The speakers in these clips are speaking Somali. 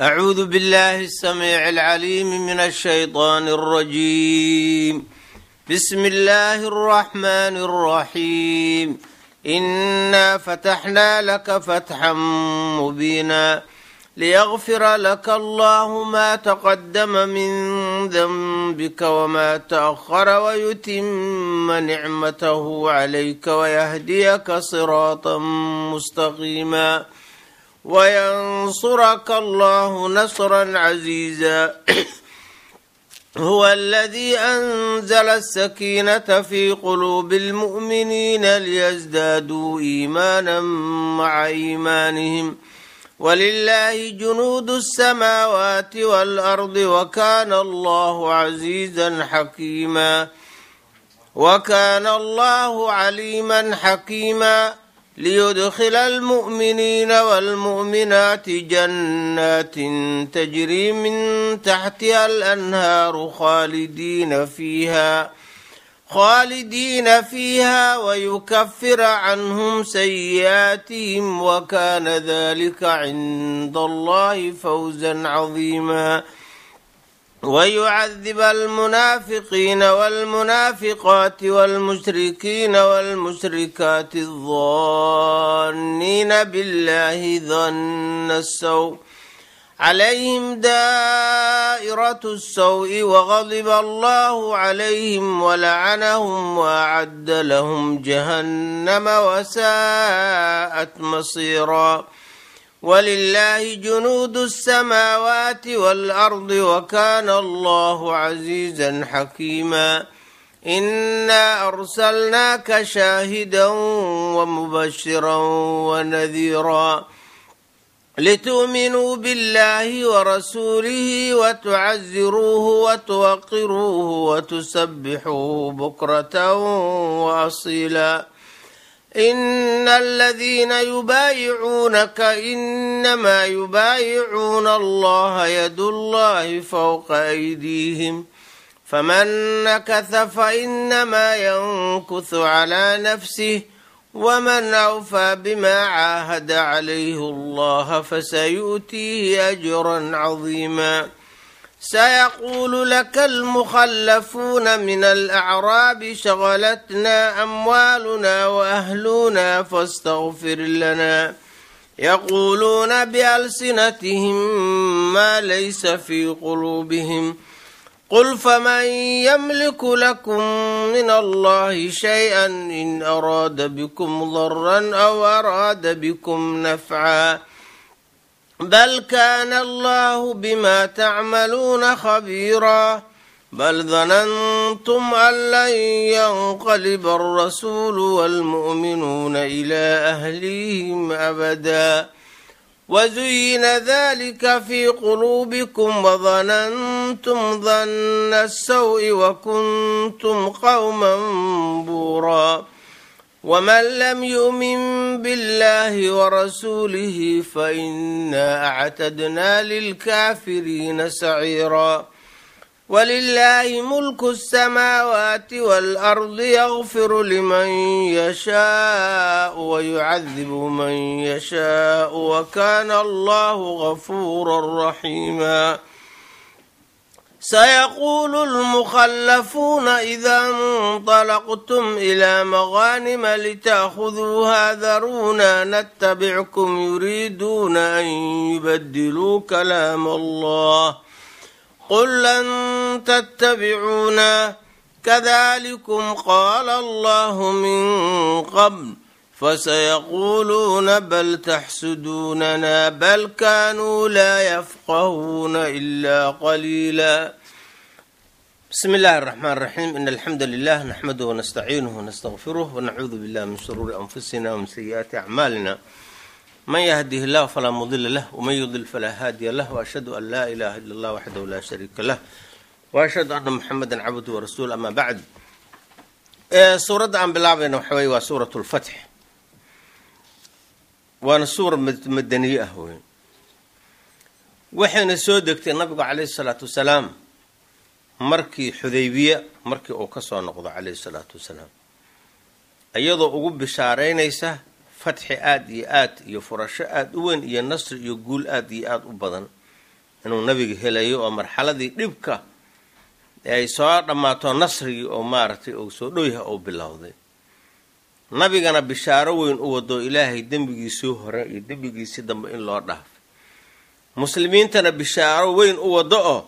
أعوذ بالله السميع العليم من الشيطان الرجيم. بسم الله الرحمن الرحيم. إنا فتحنا لك فتحا مبينا ليغفر لك الله ما تقدم من ذنبك وما تأخر ويتم نعمته عليك ويهديك صراطا مستقيما وينصرك الله نصرا عزيزا. هو الذي أنزل السكينة في قلوب المؤمنين ليزدادوا إيمانا مع إيمانهم ولله جنود السماوات والأرض وكان الله عزيزا حكيما. وكان الله عليما حكيما. ليدخل المؤمنين والمؤمنات جنات تجري من تحتها الأنهار خالدين فيها ويكفر عنهم سيئاتهم وكان ذلك عند الله فوزا عظيما. ويعذب المنافقين والمنافقات والمشركين والمشركات الظانين بالله ظن السوء عليهم دائرة السوء وغضب الله عليهم ولعنهم وأعد لهم جهنم وساءت مصيرا. ولله جنود السماوات والأرض وكان الله عزيزا حكيما. إنا أرسلناك شاهدا ومبشرا ونذيرا لتؤمنوا بالله ورسوله وتعزروه وتوقروه وتسبحوه بكرة وأصيلا. إن الذين يبايعونك إنما يبايعون الله يد الله فوق أيديهم فمن نكث فإنما ينكث على نفسه ومن أوفى بما عاهد عليه الله فسيؤتيه أجرا عظيما. سيقول لك المخلفون من الأعراب شغلتنا أموالنا وأهلنا فاستغفر لنا. يقولون بألسنتهم ما ليس في قلوبهم. قل فمن يملك لكم من الله شيئا إن أراد بكم ضرا أو أراد بكم نفعا بل كان الله بما تعملون خبيرا. بل ظننتم أن لن ينقلب الرسول والمؤمنون إلى أهليهم أبدا وزين ذلك في قلوبكم وظننتم ظن السوء وكنتم قوما بورا. ومن لم يؤمن بالله ورسوله فإنا أعتدنا للكافرين سعيرا. ولله ملك السماوات والأرض يغفر لمن يشاء ويعذب من يشاء وكان الله غفورا رحيما. سيقول المخلفون إذا انطلقتم إلى مغانم لتأخذوها ذرونا نتبعكم يريدون أن يبدلوا كلام الله. قل لن تتبعونا كذلكم قال الله من قبل فسيقولون بل تحسدوننا بل كانوا لا يفقهون إلا قليلا. بسم الله الرحمن الرحيم. إن الحمد لله نحمده ونستعينه ونستغفره ونعوذ بالله من شرور أنفسنا ومن سيئات أعمالنا. من يهده الله فلا مضل له ومن يضلل فلا هادي له، وأشهد أن لا إله إلا الله وحده لا شريك له، وأشهد أن محمدا عبده ورسوله. أما بعد، suuradda aan bilaabayna waxa weye waa suuratu lfatx, waana suura madaniye ah wey. Waxayna soo degtay nabigu calayhi salaatu wasalaam markii Xudaybiya markii uu ka soo noqdo calayhi salaatu wasalaam, iyadoo ugu bishaaraynaysa fatxi aada iyo aad iyo furasho aada u weyn iyo nasri iyo guul aada iyo aada u badan Inuu nabiga helayo oo marxaladii dhibka ay soo dhammaato, nasrigii oo maaragtay uu soo dhowyaha uu bilowday, nabigana bishaaro weyn u wado, Ilaahay dembigiisii hore iyo dembigiisii dambe in loo dhaafay, muslimiintana bishaaro weyn u wado oo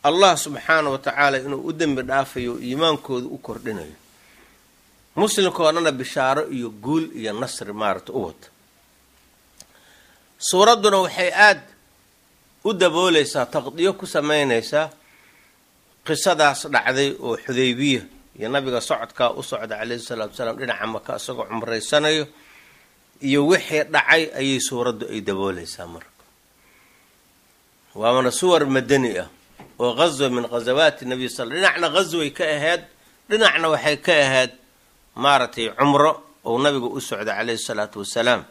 Allah subxaana wa tacaala inuu u dembi dhaafayo, iimaankooda u kordhinayo, muslimkoo dhana bishaaro iyo guul iyo nasri maaragta u wado. Suuradduna waxay aada u dabooleysaa, taqdiyo ku sameynaysaa qisadaas dhacday oo Xudaybiya iyo nabiga socodkaa u socda calayhi salaatu wasalaam dhinaca Maka isagoo cumraysanayo iyo wixii dhacay ayay suuraddu ay dabooleysaa. Marka waana suwar madani ah oo ghazwa min ghazawaati nabiy sal, dhinacna ghasway ka ahayd, dhinacna waxay ka ahayd maaragtay cumro ou nabiga u socda calayhi salaatu wasalaam.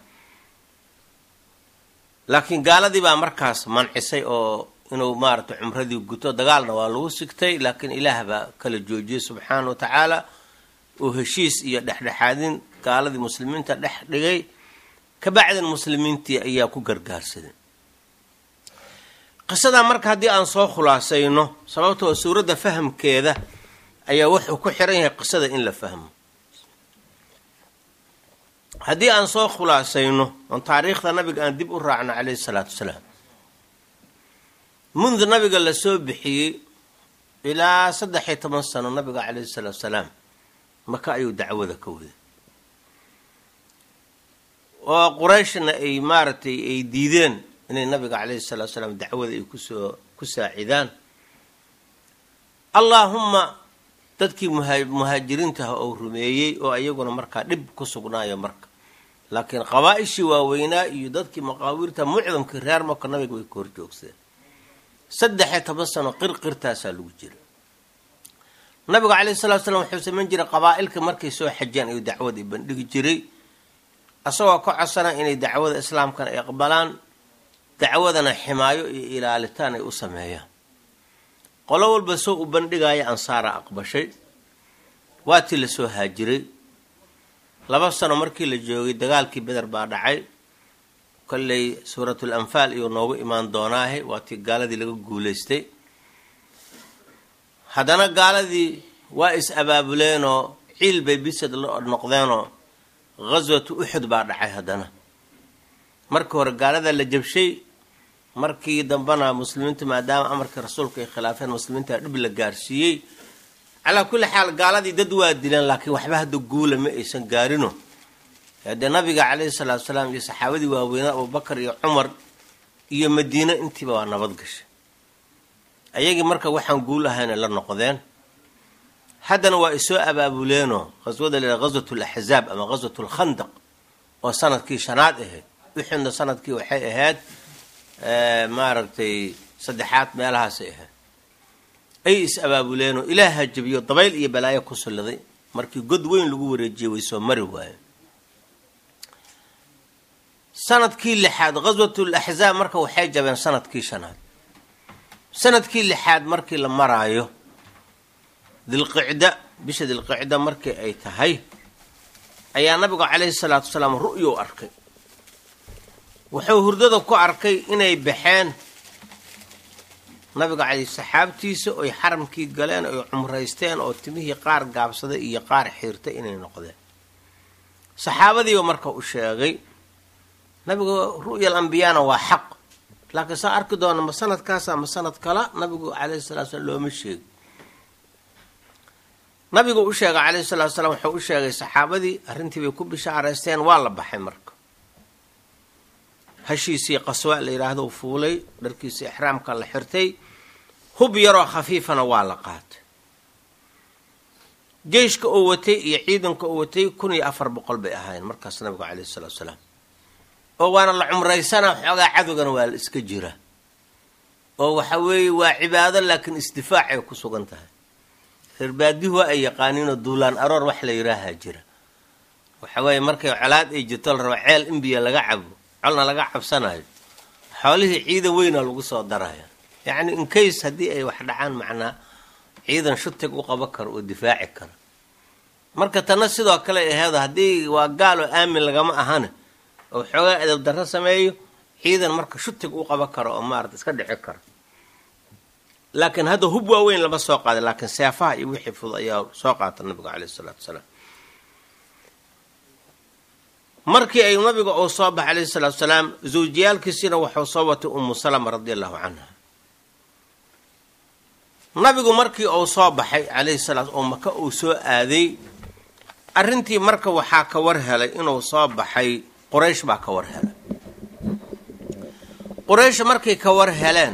Laakiin gaaladii baa markaas mancisay oo inuu maaragtay cumradii guto, dagaalna waa lagu sigtay, laakiin Ilaah baa kala joojiyey subxaana wa tacaala oo heshiis iyo dhexdhexaadin gaaladii muslimiinta dhex dhigay. Kabacdan muslimiintii ayaa ku gargaarsaday qisadaa. Marka haddii aan soo khulaasayno, sababtoo suuradda fahamkeeda ayaa wuxuu ku xiran yahay qisada in la fahmo, haddii aan soo khulaasayno oon taariikhda nabiga aan dib u raacno calayhi salaatu wasalaam, mundu nabiga la soo bixiyey ilaa 13 sano nabiga calayhi salaatu wasalaam Maka ayuu dacwada ka waday, oo Qurayshna ay maaragtay ay diideen inay nabiga calayhi salaatu wasalaam dacwada ay kusoo ku saacidaan. Allaahumma dadkii muhaajiriintaha oo rumeeyey oo iyaguna markaa dhib ku sugnaayo marka, laakiin qabaa-ishii waaweynaa iyo dadkii maqaawiirta mucdamkii reer Maka nabiga way ka horjoogsadeen. 13 sano qirqirtaasaa lagu jira. Nabiga calayhi salatu slam wuxuu samayn jiray, qabaa-ilka markay soo xajiyaan ayuu dacwada bandhigi jiray, asagoo ka codsana inay dacwada islaamkana ay aqbalaan, dacwadana ximaayo iyo ilaalitaan ay u sameeyaan. Qolo walba soo u bandhigaya, Ansaara aqbashay, waatii lasoo haajiray. 2 sano markii la joogay dagaalkii Beder baa dhacay. Kolley Suuratul Anfaal iyuu noogu imaan doonaahe. Waatii gaaladii laga guulaystay. Haddana gaaladii waa is abaabuleenoo ciil bay bisad la noqdeenoo ghaswatu Uxud baa dhacay. Haddana markii hore gaalada la jabshay, markii dambena muslimiintu maadaama amarkii rasuulka ay khilaafeen, muslimiinta dhib la gaarsiiyey. Calaa kulli xaal gaaladii dad waa dileen, laakiin waxba hadda guula ma aysan gaarino. Dee nabiga calayhi salaatu salaam iyo saxaabadii waaweynaa Abubakar iyo Cumar iyo Madiine intiiba waa nabad gashay. Ayagii marka waxaan guul ahayna la noqdeen. Haddana waa isoo abaabuleenoo qaswada la ghaswat laxzaab ama ghaswat lkhandaq oo sanadkii shanaad ahayd, Uxudna sanadkii waxay ahayd maaragtay saddexaad meelahaasay ahayd, ay is abaabuleenoo Ilaaha jabiyo, dabayl iyo balaayo ku salliday. Markii god weyn lagu wareejiyey way soo mari waayeen. Sanadkii lixaad ghaswatul axzaab marka waxay jabeen sanadkii shanaad. Sanadkii lixaad markii la maraayo Dilqicda, bisha Dilqicda markii ay tahay, ayaa nabigu calayhi salaatu wasalaam ru'you arkay. Wuxuu hurdada ku arkay inay baxeen nabiga caley saxaabtiisa oy xaramkii galeen, oy cumraysteen, oo timihii qaar gaabsaday iyo qaar xiirtay inay noqdeen. Saxaabadiiba marka u sheegay nabigu. Ru'yal ambiyaana waa xaq, laakiin saa arki doona, ma sanadkaasa ma sanad kala nabigu calayhi salatu slam looma sheegi. Nabigu u sheegay calayhi salatu salaam, wuxuu u sheegay saxaabadii, arrintii bay ku bishaaraysteen. Waa la baxay marka. Hashiisii Qaswa la yidhaahdo fuulay, dharkiisii ixraamka la xirtay, hub yaroo khafiifana waa la qaatay. Jeyshka uu watay iyo ciidanka uu watay 1400 bay ahaayeen markaas nabigu calayhi salaatu salaam. Oo waana la cumraysana, xoogaa cadowgana waa la iska jira, oo waxa weeye waa cibaado, laakiin isdifaacay ku sugan tahay. Reer baadihu ay yaqaaniinoo duulaan aroor wax la yidhaahaa jira. Waxa weeye markay colaad ay jirto, la rabo ceel in biyo laga cabo, colna laga cabsanayo, xoolihii ciidan weyna lagu soo daraya, yacni inkays haddii ay wax dhacaan, macnaa ciidan shutig u qaban karo oo difaaci karo. Marka tanna sidoo kale aheedo, haddii waa gaaloo aamin lagama ahane oo xoogaa edab darro sameeyo, ciidan marka shutig u qaban karo oo maarata iska dhici karo. Laakiin hadda hub waaweyn lama soo qaaday, laakiin seefaha iyo wixii fudud ayaa soo qaata nabigu caleyhi salaatu wasalaam. Markii ay nabiga uu soo baxay caleyhi salaatu wasalaam, zawjiyaalkiisiina wuxuu soo watay Umu Salama radia allahu canha. Nabigu markii uu soo baxay caleyhi salaam oo Maka uu soo aaday, arrintii marka waxaa ka war helay inuu soo baxay Quraysh baa ka war helay. Quraysh markay ka war heleen,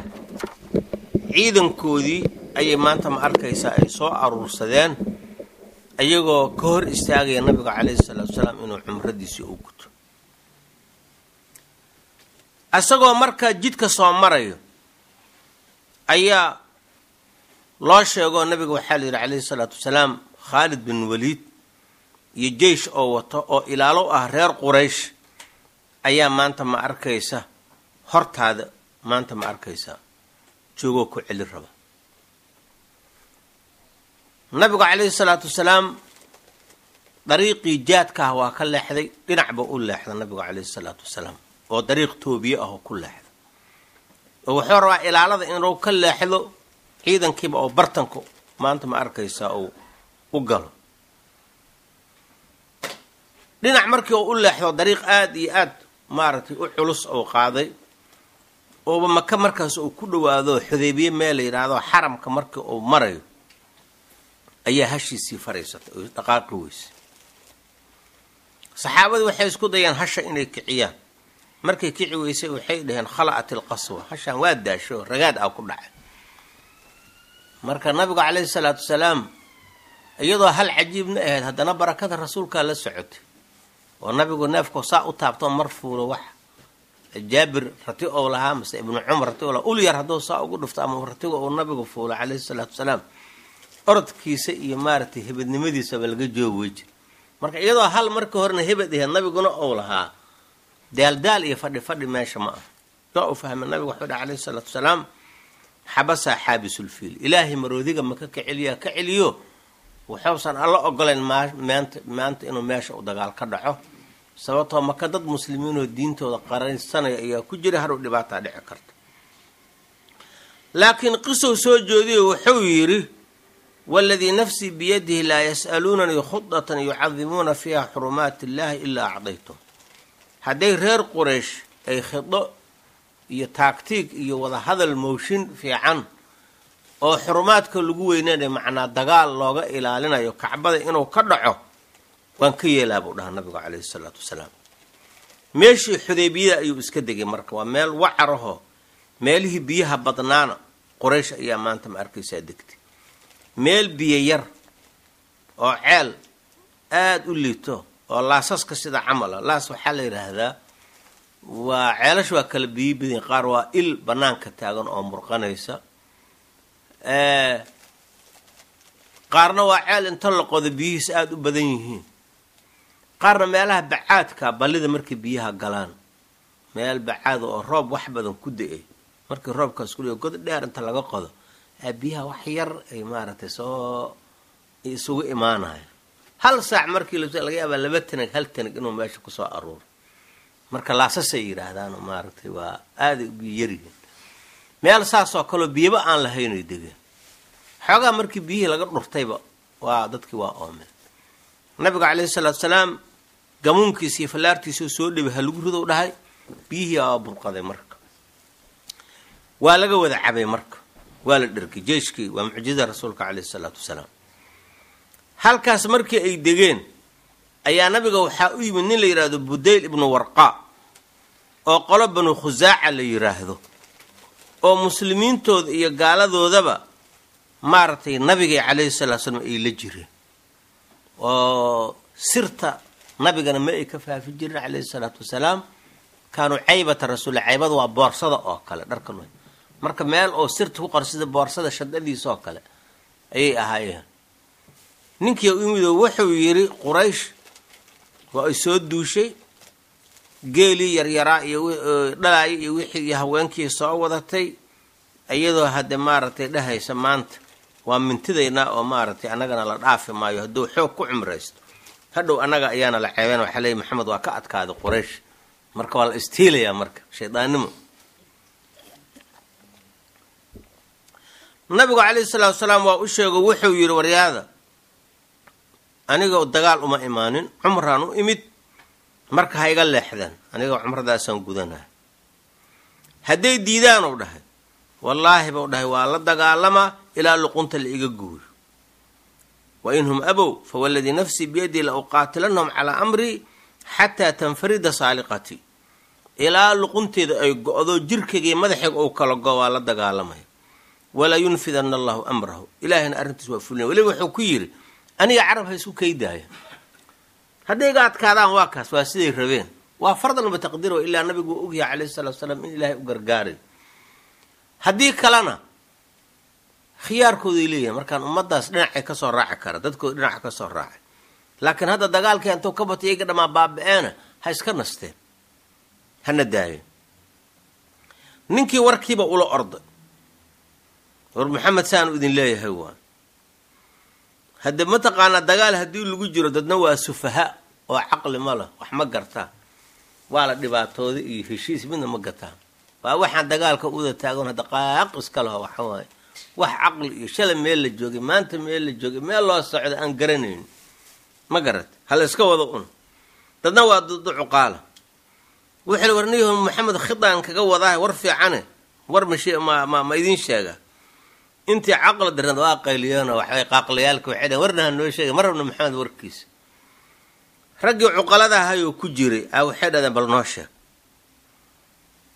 ciidankoodii ayay maanta ma arkaysaa ay soo aruursadeen, ayagoo ka hor istaagaya nabiga caleyhi salaatu wasalaam inuu cumradiisii u guto. Isagoo markaa jidka soo marayo ayaa loo sheegoo nabiga waxaa la yidhi caleyhi salaatu wasalaam, Khaalid bin Waliid iyo jeysh oo wato oo ilaalo ah reer Quraysh ayaa maanta ma arkaysa hortaada, maanta ma arkaysa joogoo ku celi raba. Nabigu caleyhi salaatu wasalaam dariiqii jaadka ah waa ka leexday, dhinacba u leexda nabigu caleyhi salaatu wasalaam, oo dariiq toobiye ah oo ku leexda, oo wuxuu rabaa ilaalada inuu ka leexdo ciidankiiba oo bartanku maanta ma arkaysaa uu u galo. Dhinac markii uu u leexdo dariiq aada iyo aad maaragtay u culus uu qaaday, ooba Maka markaas uu ku dhowaado Xudaybiye meel la yidhaahdo xaramka markii uu marayo ayaa hashiisii fariisatay oo dhaqaaqi weysay. Saxaabadii waxay isku dayeen hasha inay kiciyaan, markay kici weysay waxay dhaheen khala'at ilqaswa, hashaan waa daasho, ragaad ah ku dhacay. Marka nabigu caleyhi salaatu wasalaam iyadoo hal cajiibna ahayd, haddana barakada rasuulkaa la socotay, oo nabigu neefku saa u taabtoo mar fuulo, wax Jaabir rati ou lahaa mase Ibnu Cumar rati ou lahaa, ul yar hadduu saa ugu dhufto ama ratiga uu nabigu fuulo caleyhi salaatu wasalaam, orodkiisa iyo maaragtay hebadnimadiisaba laga joogi wey jir. Marka iyadoo hal markii horena hebad ahayd nabiguna ou lahaa, daaldaal iyo fadhi fadhi meesha ma ah. Waa uu fahmay nabigu, wuxuu dhaha caleyhi salaatu wasalaam, xabasaa xaabisulfiil, ilaahay maroodiga maka ka celiyaa ka celiyo, wuxuusan alla ogolayn maanta maanta inuu meesha u dagaal ka dhaco, sababtoo maka dad muslimiinoo diintooda qaraysanaya ayaa ku jira, hadhow dhibaataa dhici karta. Laakiin qisow soo jeediyo wuxuu yidhi, waladii nafsii biyadihi laa yas'aluunanii khudatan yucadimuuna fiiha xurumaati illaahi ilaa acdaytum. Hadday reer Quraysh ay khido iyo taagtiig iyo wadahadal mooshin fiican oo xurumaadka lagu weynanayo, macnaa dagaal looga ilaalinayo Kacbada inuu ka dhaco, waan ka yeelaa buu dhahaa nabigu caleyhi salaatu wasalaam. Meeshii Xudaybiyada ayuu iska degay. Marka waa meel wacarahoo meelihii biyaha badnaana Quraysh ayaa maanta ma arkaysaa degtay, meel biyo yar oo ceel aada u liito oo laasaska sida camala. Laas waxaa la yidhaahdaa waa ceelasha waa kala biyo badan, qaar waa il banaanka taagan oo murqanaysa, qaarna waa ceel inta la qodo biyihiis aada u badan yihiin, qaarna meelaha bacaadka ballida markay biyaha galaan, meel bacaada oo roob wax badan ku da-ay, markii roobkaas ku god dheer inta laga qodo biyaha wax yar ay maaragtay soo isugu imaanaya, hal saac markii laga yaabaa 2 tanag 1 tanag inuu meesha kusoo aruuro. Marka laasasay yidhaahdaan, maaragtay waa aaday u biyo yaryihiin. Meel saasoo kaleo biyaba aan lahaynay degeen. Xoogaa markii biyihii laga dhurtayba waa dadkii waa oomeen. Nabiga caleyhi salaatu salaam gamuunkiisa iyo fallaartiisao soo dhibay ha lagu ridow dhahay, biyihii waa burqaday. Marka waa laga wada cabay, marka waa la dhergay jeyshkii. Waa mucjizada rasuulka caleyhi salaatu wasalaam. Halkaas markii ay degeen ayaa nabiga waxaa u yimid nin la yidhaahdo Budayl ibnu Warqaa oo qolo Banu Khusaaca la yidhaahdo, oo muslimiintooda iyo gaaladoodaba maaragtay nabigay caleyhi salatu slam ay la jireen, oo sirta nabigana ma ay ka faafi jirin caleyhi salaatu wasalaam. Kaanuu caybata rasuulla, caybada waa boorsada oo kale dharka, marka meel oo sirta ku qor sida boorsada shadadiisa oo kale ayay ahaayeen. Ninkii u yimid oo wuxuu yidhi, Quraysh waa ay soo duushay, geelii yaryaraa iyo dhalaaya iyo wixii iyo haweenkii soo wadatay, iyadoo hadde maaragtay dhahaysa maanta waa mintidaynaa oo maaragtay annagana la dhaafi maayo, hadduu xoog ku cumraysto hadhow annaga ayaana la ceebeen, waxaa leeyahy Maxamed waa ka adkaaday Quraysh. Marka waa la istiilayaa, marka shaydaannimo. Nabigu calayhi salaatu wasalaam waa u sheego, wuxuu yidhi waryaada, aniga dagaal uma imaanin, cumraan u imid, marka ha iga leexdaan, aniga cumradaasaan gudanaa. Hadday diidaan uu dhahay, wallaahi buu dhahay waa la dagaalamaa ilaa luqunta la iga gooyo. Wa in hum abow fawaladii nafsii biyadii la uqaatilanahum calaa amrii xataa tanfarida saaliqatii, ilaa luqunteeda ay go-do, jirkayga madaxayga uu kala go, waa la dagaalamaya. Walaa yunfidana allahu amrahu, ilaahayna arrintiis waa fulina. Weliba wuxuu ku yidhi aniga carab ha isku kaydaaya, hadday iga adkaadaan waa kaas, waa siday rabeen, waa fardan bataqdiir, ilaa nabigu waa ogyahay calayhi salatu wasalaam in ilaahay u gargaaray. Haddii kalena khiyaarkooday leeyihin, markaan ummaddaas dhinacay kasoo raaci kara, dadkooda dhinaca kasoo raacay. Laakiin hadda dagaalkii intuu ka batay iyaga dhammaa baaba-eena, ha iska nasteen, hana daayeen. Ninkii warkiiba ula orday, war Maxamed saanu idin leeyahay. Waa hadde mataqaanaa dagaal haddii lagu jiro, dadna waa sufaha oo caqli ma leh, wax ma gartaa, waa la dhibaatooda iyo heshiis midna ma gataan. Waa waxaan dagaalka uda taagan hadda qaaq iska laho, waxa waaye wax caqli iyo shalay meel la joogay, maanta meel la joogay, meel loo socda aan garanayn, ma garat, hala iska wada un. Dadna waa ducuqaala. Wuxuu warniyahu Maxamed khidaan kaga wadaah, war fiicane, war mash ma ma ma idiin sheega. Intii caqli darnad waa qayliyeeno, waxbay qaaqlayaalka waxay dhaheen warna ha noo sheegay, ma rabno Maxamed warkiisa. Raggii cuqalada ahayoo ku jiray a waxay dhahdeen bal noo sheeg.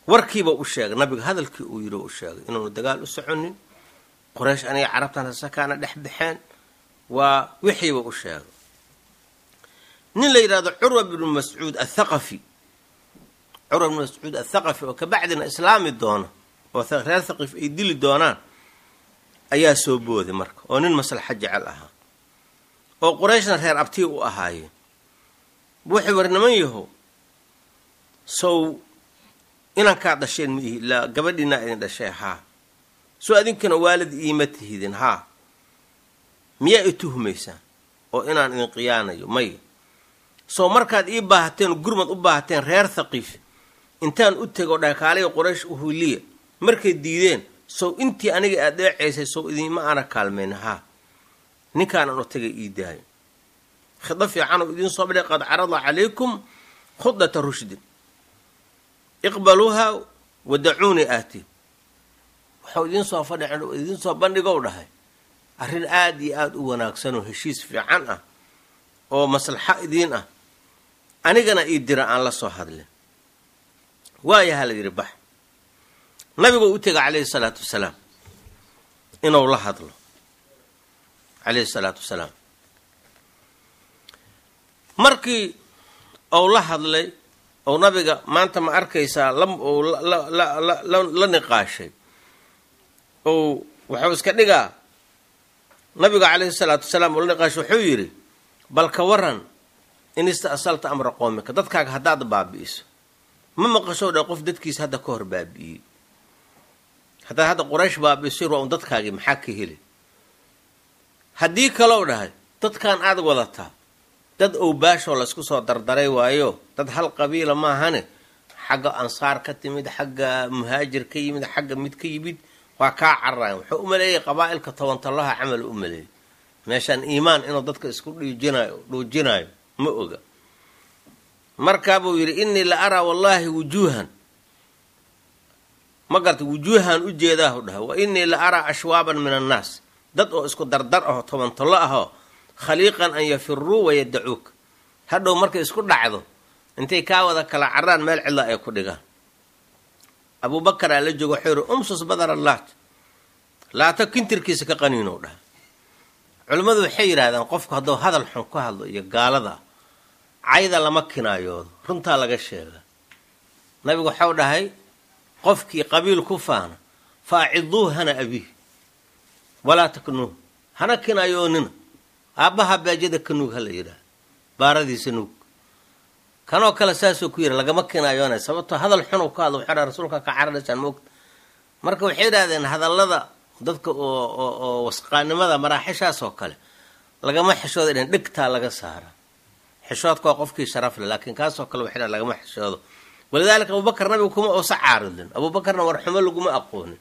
Warkiiba u sheegay nabiga, hadalkii uu yidhi u sheegay inuunu dagaal u soconin, Qoraysh aniga carabtan hasakaana dhex baxeen, waa wixiiba u sheegay. Nin la yidhahdo Curwa bnu Mascuud athaqafi, Curwa bnu Mascuud athaqafi oo kabacdina islaami doona oo reer Thaqif ay dili doonaan, ayaa soo booday marka, oo nin maslaxa jecel ahaa oo Qurayshna reer abtii u ahaayeen. Wuxuu war niman yahow, sow inankaa dhasheen ma ihi, ilaa gabadhiinaa idin dhashay, haa, soo adinkana waalid iima tihidin, haa, miyaa i tuhmaysaan oo inaan idin qiyaanayo? Maya. Soo markaad ii baahateen, gurmad u baahateen, reer Thaqiif intaan u tego dhakaaliga Quraysh uhuliya, markay diideen, sow intii aniga aad dheecaysay sow idinma aana kaalmayn? Haa. Ninkaanan u tagay ii daayo, khido fiicanoo idiin soo badhay, qad carada calaykum khudata rushdin iqbaluuha wadacuunii aati. Waxau idiin soo fadhi, idiin soo bandhigow dhahay arrin aada iyo aada u wanaagsanoo heshiis fiican ah oo maslaxo idiin ah, anigana ii dira aan la soo hadlin. Waayaha la yidhi bax. Nabiguu u tegay calayhi salaatu wasalaam inuu la hadlo calayhi salaatu wasalaam. Markii uu la hadlay ou nabiga maanta ma arkaysaa la niqaashay, ou wuxuu iska dhigaa nabiga calayhi salaatu wasalaam uu la niqaashay, wuxuu yidhi bal ka waran in ista'salta amra qoomika, dadkaaga haddaad baabi'iso, ma maqashow dha qof dadkiisa hadda ka hor baabi'iyey, haddaad hadda Quraysh baabi'iso waa un dadkaagii, maxaa ka heli? Haddii kalow dhahay dadkan aad wadataa dad owbaashoo laysku soo dardaray waayo, dad hal qabiila maahane, xagga ansaar ka timid, xagga muhaajir ka yimid, xagga mid ka yimid, waa kaa cararayan. Wuxuu u maleeyay qabaa'ilka tobantallaha camal u maleeyay, meeshaan iimaan inuu dadka isku dhiijinayo dhuujinayo ma oga. Markaabuu yidhi innii la araa wallaahi wujuuhan, ma garta, wujuuhan u jeedaahu dhahay, wa innii la araa ashwaaban min annaas, dad oo isku dardar aho tobantallo ahoo khaliiqan an yafiruu wayadacuuka, hadhow markay isku dhacdo intay kaa wada kala caraan meel cidla ay ku dhigaan. Abuubakaraa la joogo, wuxuu yihi umsus badara laat, laata kintirkiisa ka qaniinow dhaha. Culimmadu waxay yidhaahdeen qofku hadduu hadal xun ku hadlo iyo gaalada cayda lama kinaayoodo, runtaa laga sheega. Nabigu waxau dhahay qofkii qabiil ku faana fa aciduu hana abiih walaa taknuuh, hana kinaayoonina, aabbaha baajada ka nuug hala yidhaah, baaradiisa nuug. Kanoo kale saasuu ku yidhi lagama kinaayoonay, sababtoo hadal xunuu ku hadlo, wuxuu dhaha rasuulka ka cararaysaan moogta. Marka waxay yidhahdeen hadallada dadka oo wasqaanimada maraaxishaas oo kale lagama xishooda, dhehen dhegtaa laga saara, xishoodka waa qofkii sharaf leh, laakiin kaasoo kale waxay dhahen lagama xishoodo. Walidaalika Abubakar nabigu kuma uusa caaridin, Abuubakarna warxumo laguma aqoonin,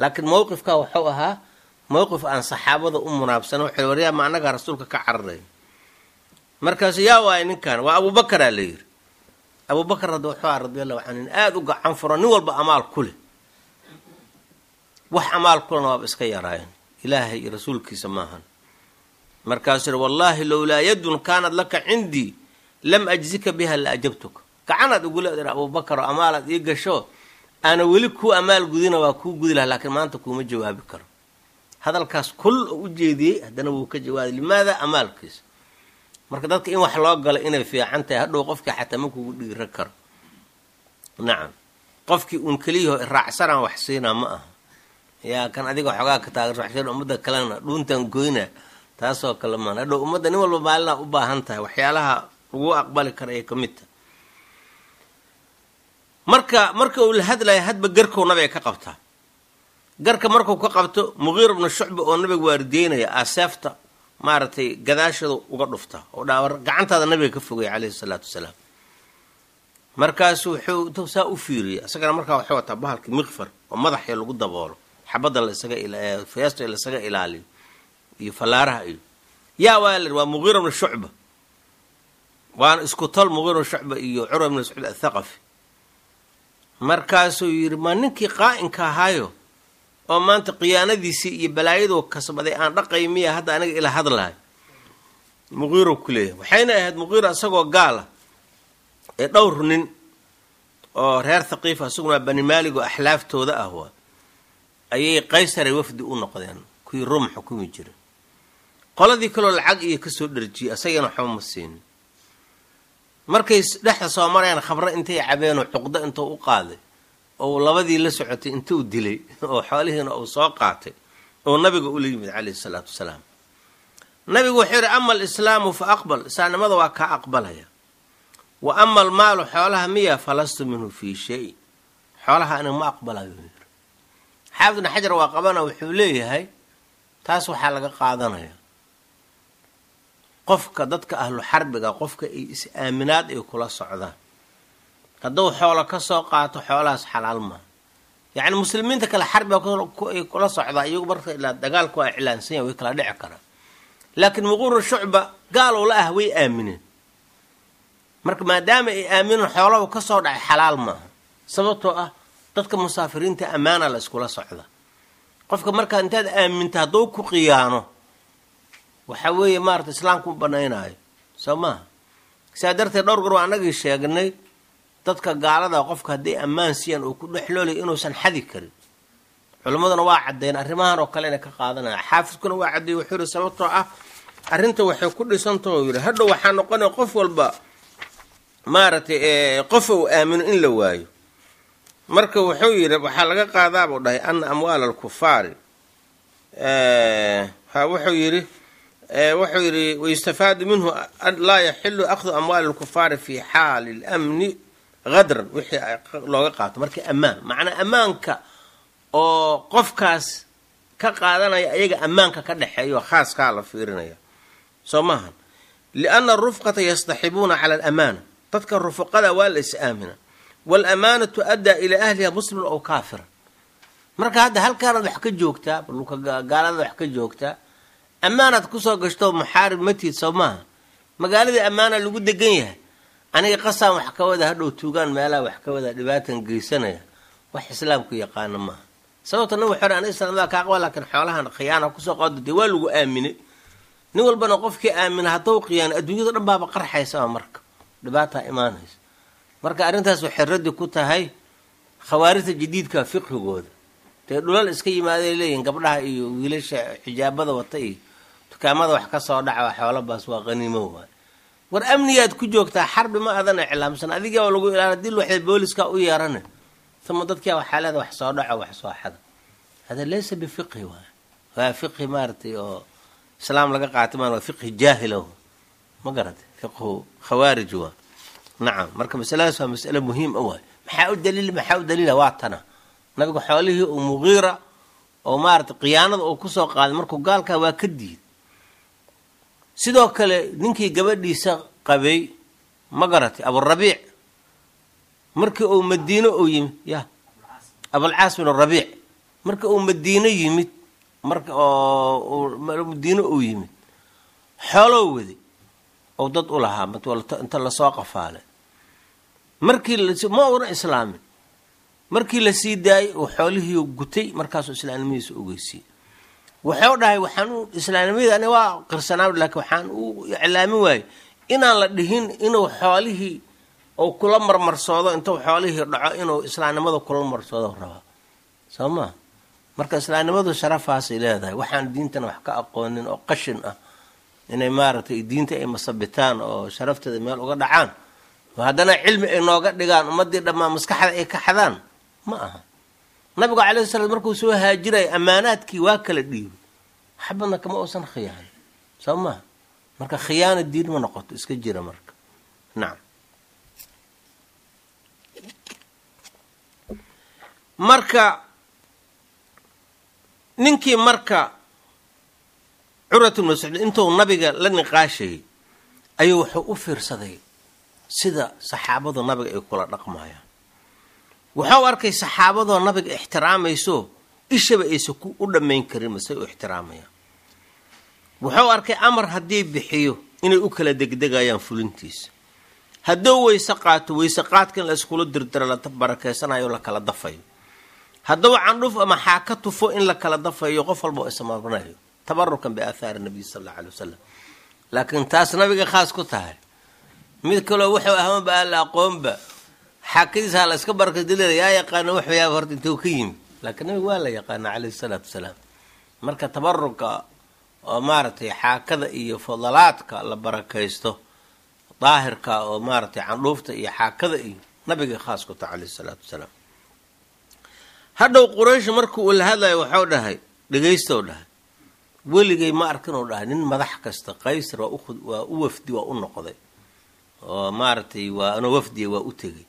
laakiin mowqifka wuxuu ahaa Mowqif aan saxaabada u munaabsana, wuxuu waryaa ma annagaa rasuulka ka cararay? Markaasu yaa waaya ninkan, waa Abuubakaraa la yidhi. Abuubakar hadda wuxuu aha radi allahu canhu nin aada u gacan furo, nin walba amaal ku leh, wax amaal kulena waaba iska yaraayeen, Ilaahay iyo rasuulkiisa maahan. Markaasuu yihi, wallaahi lowlaa yadun kaanad laka cindii lam ajzika biha la ajabtuka. Gacanaad igula dir Abuubakar oo amaalaad ii gasho aana weli kuu amaal gudina, waa kuu gudi laha, laakiin maanta kuuma jawaabi karo. Hadalkaas kul oo u jeediyey haddana wuu ka jawaabay. Limaada? Amaalkiisa. Marka dadka in wax loo galo inay fiican tahay, hadhow qofkii xataa ma kugu dhiira karo. Nacam, qofkii uun keliyaho raacsanaan wax siinaa ma aha, yaa kan adiga xoogaa ka taageer, ummadda kalena dhuuntan goyna, taasoo kale maan. Hadhow ummadda nin walba maalinaa u baahan tahay, waxyaalaha lagu aqbali kara ay ka mid tahay. Marka uu la hadlaya, hadba garkow nabiga ka qabtaa. Garka markuu ka qabto, Muqiir bnu Shucba oo nabiga waardiyeynaya aaseefta maaragtay gadaashada uga dhufta oo dhaawar gacantaada nabiga ka fogaya caleyhi salaatu wasalaam. Markaasu wuxuu intuu saa u fiiriyey, isagana markaa waxay wataa bahalkii mikfar oo madaxya lagu daboolo xabadda laisaga feesta laisaga ilaaliyo iyo fallaaraha iyo yaa waa la waa Muqiira bnu Shucba, waana isku tol Muqiira bnu Shucba iyo Curwa bnu Mascuud Athaqafi. Markaasuu yidhi, ma ninkii qaa'inka ahaayo oo maanta khiyaanadiisii iyo balaayaduu kasbaday aan dhaqay miya hadda aniga ila hadlahay? Muqiiro ku leeyahay. Waxayna ahayd Muqiira isagoo gaala ee dhowr nin oo reer Thaqiifa, isaguna Bani Maalig oo axlaaftooda ah waa ayay Qaysaray wafdi u noqdeen, kuwii Ruum xukumi jiray. Qoladii kaloo lacag iyo kasoo dharjiyey, isagana waxba ma siinin. Markay dhexda soo marayaan, khamro intay cabeenoo cuqdo intuu u qaaday oo labadii la socotay intuu dilay oo xoolihiina uu soo qaatay oo nabiga ula yimid calayhi salaatu wasalaam. Nabigu wuxuu yidhi, ama alislaamu fa aqbal, islaamnimada waa kaa aqbalaya, wa ama almaalu, xoolaha miya, falastu minhu fii shay, xoolaha aniga ma aqbalayo yiri. Xaafid ibn Xajar waa qabana, wuxuu leeyahay taas waxaa laga qaadanaya qofka dadka ahlu xarbiga, qofka ay is-aaminaad ay kula socdaan, hadduu xoolo ka soo qaato xoolahaas xalaal maaha. Yacni muslimiinta kale xarbiga ay kula socdaa iyagu marka ilaa dagaalku waa iclaansan yahay, way kala dhici karaan, laakiin Muquura Shucba gaalow la ah way aamineen. Marka maadaama ay aamineen, xoolahu ka soo dhacay xalaal maaha, sababtoo ah dadka musaafiriinta ammaana la iskula socda. Qofka markaa intaad aaminta hadduu ku khiyaano, waxa weeye maarata islaamku u banaynaayo soo maaha. Sidaa darteed dhowr goor waa anagii sheegnay dadka gaalada qofka hadday ammaan siiyaan oo ku dhexloolay inuusan xadi karin. Culimmaduna waa caddeyn arrimahan oo kale inay ka qaadanaya. Xaafidkuna waa caddeeyey, wuxuu yihi sababtoo ah arrinta waxay ku dhisantaho yidhi hadhow waxaa noqonaya qof walba maaragtay qof uu aamino in la waayo. Marka wuxuu yidhi waxaa laga qaadaabuu dhahay ana amwaala alkufaari ha wuxuu yidhi wayustafaadu minhu an laa yaxilu akhdu amwaali alkufaari fi xaali lamni hadran, wixii looga qaato marka ammaan, macnaa ammaanka oo qofkaas ka qaadanaya ayaga ammaanka ka dhexeeyo khaaskaa la fiirinaya soo maahan, lianna arufqata yastaxibuuna cala alamaana, dadka rufuqada waa la is-aamina, waalamaanatu addaa ilaa ahliha musliman ow kaafira. Marka hadda halkaanaad wax ka joogtaa, dhulka gaaladaad wax ka joogtaa, ammaanaad kusoo gashto, muxaarib matiid soo maaha, magaaladii ammaana lagu degan yahay, aniga qasaan wax ka wada, hadhow tuugaan meelaha wax ka wada dhibaatan geysanaya, wax islaamku yaqaano maaha. Sababta nin wuxuu aniga islaamada kaa qaba, laakiin xoolahan khiyaana kusoo qaado, dee waa lagu aaminay. Nin walbana qofkii aamina hadduu khiyaano adduunyada dhan baaba qarxaysaba, marka dhibaataa imaanaysa. Marka arrintaas waxay raddi ku tahay khawaarijta jadiidka fiqhigooda, dee dhulal iska yimaaday leeyihin gabdhaha iyo wiilasha xijaabada wata iyo dukaamada wax ka soo dhaca xoolo baas waa qaniimo waay. War amnigaad ku joogtaa, xarbi ma adan iclaamsan, adigaa waa lagu ilaala dil, waxay booliska u yeerane, uma dadkia waxaa leeda wax soo dhaco, wax soo xada. Hada laysa bifiqhi waay, waa fiqhi maaragtay oo islaam laga qaatay maan, waa fiqhi jaahila, ma garatay, fiqhu khawaarij waa. Nacam, marka masaladaas waa masale muhiim a waay. Maxaa u daliil? Maxaa u daliila? Waa tana nabigu xoolihii uu Muqiira oo maaragtay khiyaanada uu kusoo qaaday markuu gaalkaa waa ka diid. Sidoo kale ninkii gabadhiisa qabay, ma garatay, Aburabiic, markii uu Madiino uu yimid, ya Abulcaas bin Rabiic, markii uu Madiino yimid Marka oo Madiino uu yimid xooloo waday oo dad u lahaa inta lasoo qafaalay, markii ma una islaamin, markii la sii daayey uu xoolihii gutay, markaasuu islaamnimadiisa ogeysiiyey. Wuxuu dhahay waxaan u islaamnimadii ani waa qirsanaa, laakiin waxaan u iclaamin waayey inaan la dhihin inuu xoolihii ou kula marmarsoodo, intuu xoolihii dhaco inuu islaamnimada kula marsoodo rabaa, soo maa? Marka islaamnimadu sharafaasay leedahay. Waxaan diintana wax ka aqoonin oo qashin ah inay maaragtay diinta ay masabitaan oo sharafteeda meel uga dhacaan, haddana cilmi ay nooga dhigaan, ummadii dhammaan maskaxda ay ka xadaan, ma aha. Nabigu calayhi salaam markuu soo haajiraya ammaanaadkii waa kala dhiibay, xabadna kama uusan khiyaanin, soo maha? Marka khiyaana diin ma noqoto, iska jira marka. Nacam. Marka ninkii marka Curwat bnu Mascuud intuu nabiga la niqaashayay ayuu wuxuu u fiirsaday sida saxaabadu nabiga ay kula dhaqmayaan. Wuxuu arkay saxaabadoo nabiga ixtiraamayso, ishaba aysa ku u dhammayn karin masay u ixtiraamayaan. Wuxuu arkay amar haddii bixiyo inay u kala degdegayaan fulintiisa, hadduu weyse qaato weyse qaadka in la iskula dirdiro, la barakeysanayo, la kala dafayo, hadduu candhuf ama xaaka tufo in la kala dafayo, qof walba oo ismarinayo, tabarukan biaathaari nabiy sala alla alay wasalam. Laakiin taas nabiga khaas ku tahay, mid kaloo wuxuu ahmaba aan la aqoonba xaakadiisa ha la iska barakadilada, yaa yaqaano wuxuu yaaba horta intuu ka yimid? Laakiin nabiga waa la yaqaana calayhi salaatu wasalaam. Marka tabaruka oo maaragtay xaakada iyo fadalaadka la barakaysto daahirka oo maaragtay candhuufta iyo xaakada iyo nabiga khaas ku tahay calayhi salaatu wasalaam. Hadhow Quraysh markii uu la hadlayo waxuu dhahay, dhegaystow dhahay, weligay ma arkin uu dhahay nin madax kasta, Qaysar waa u wafdi, waa u noqday oo maaragtay waa anoo wafdiya waa u tegey,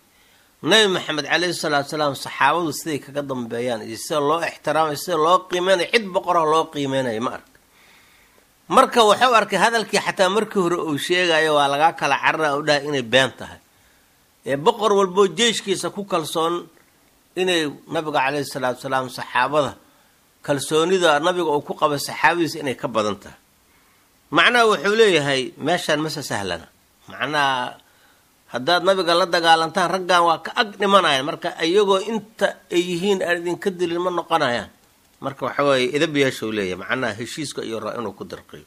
Nabi Maxamed calayhi salaatu salaam saxaabadu siday kaga dambeeyaan iyo sida loo ixtiraamayo, sida loo qiimeynayo, cid boqoraha loo qiimeynayo ma ark. Marka wuxuu arkay hadalkii xataa markii hore uu sheegayo waa lagaa kala carara u dhahay inay been tahay, ee boqor walboo jeeshkiisa ku kalsoon inay nabiga calayhi salaatu salaam saxaabada kalsoonida nabiga uu ku qaba saxaabadiisa inay ka badan tahay. Macnaha wuxuu leeyahay meeshaan mase sahlana, macnaha haddaad nabiga la dagaalantaan raggan waa ka ag dhimanayaan, marka iyagoo inta ay yihiin aan idinka dilin ma noqonayaan. Marka waxa weeye idab yeeshuu leeyahay, macnaha heshiiska iyo raa inuu ku dirqiyo.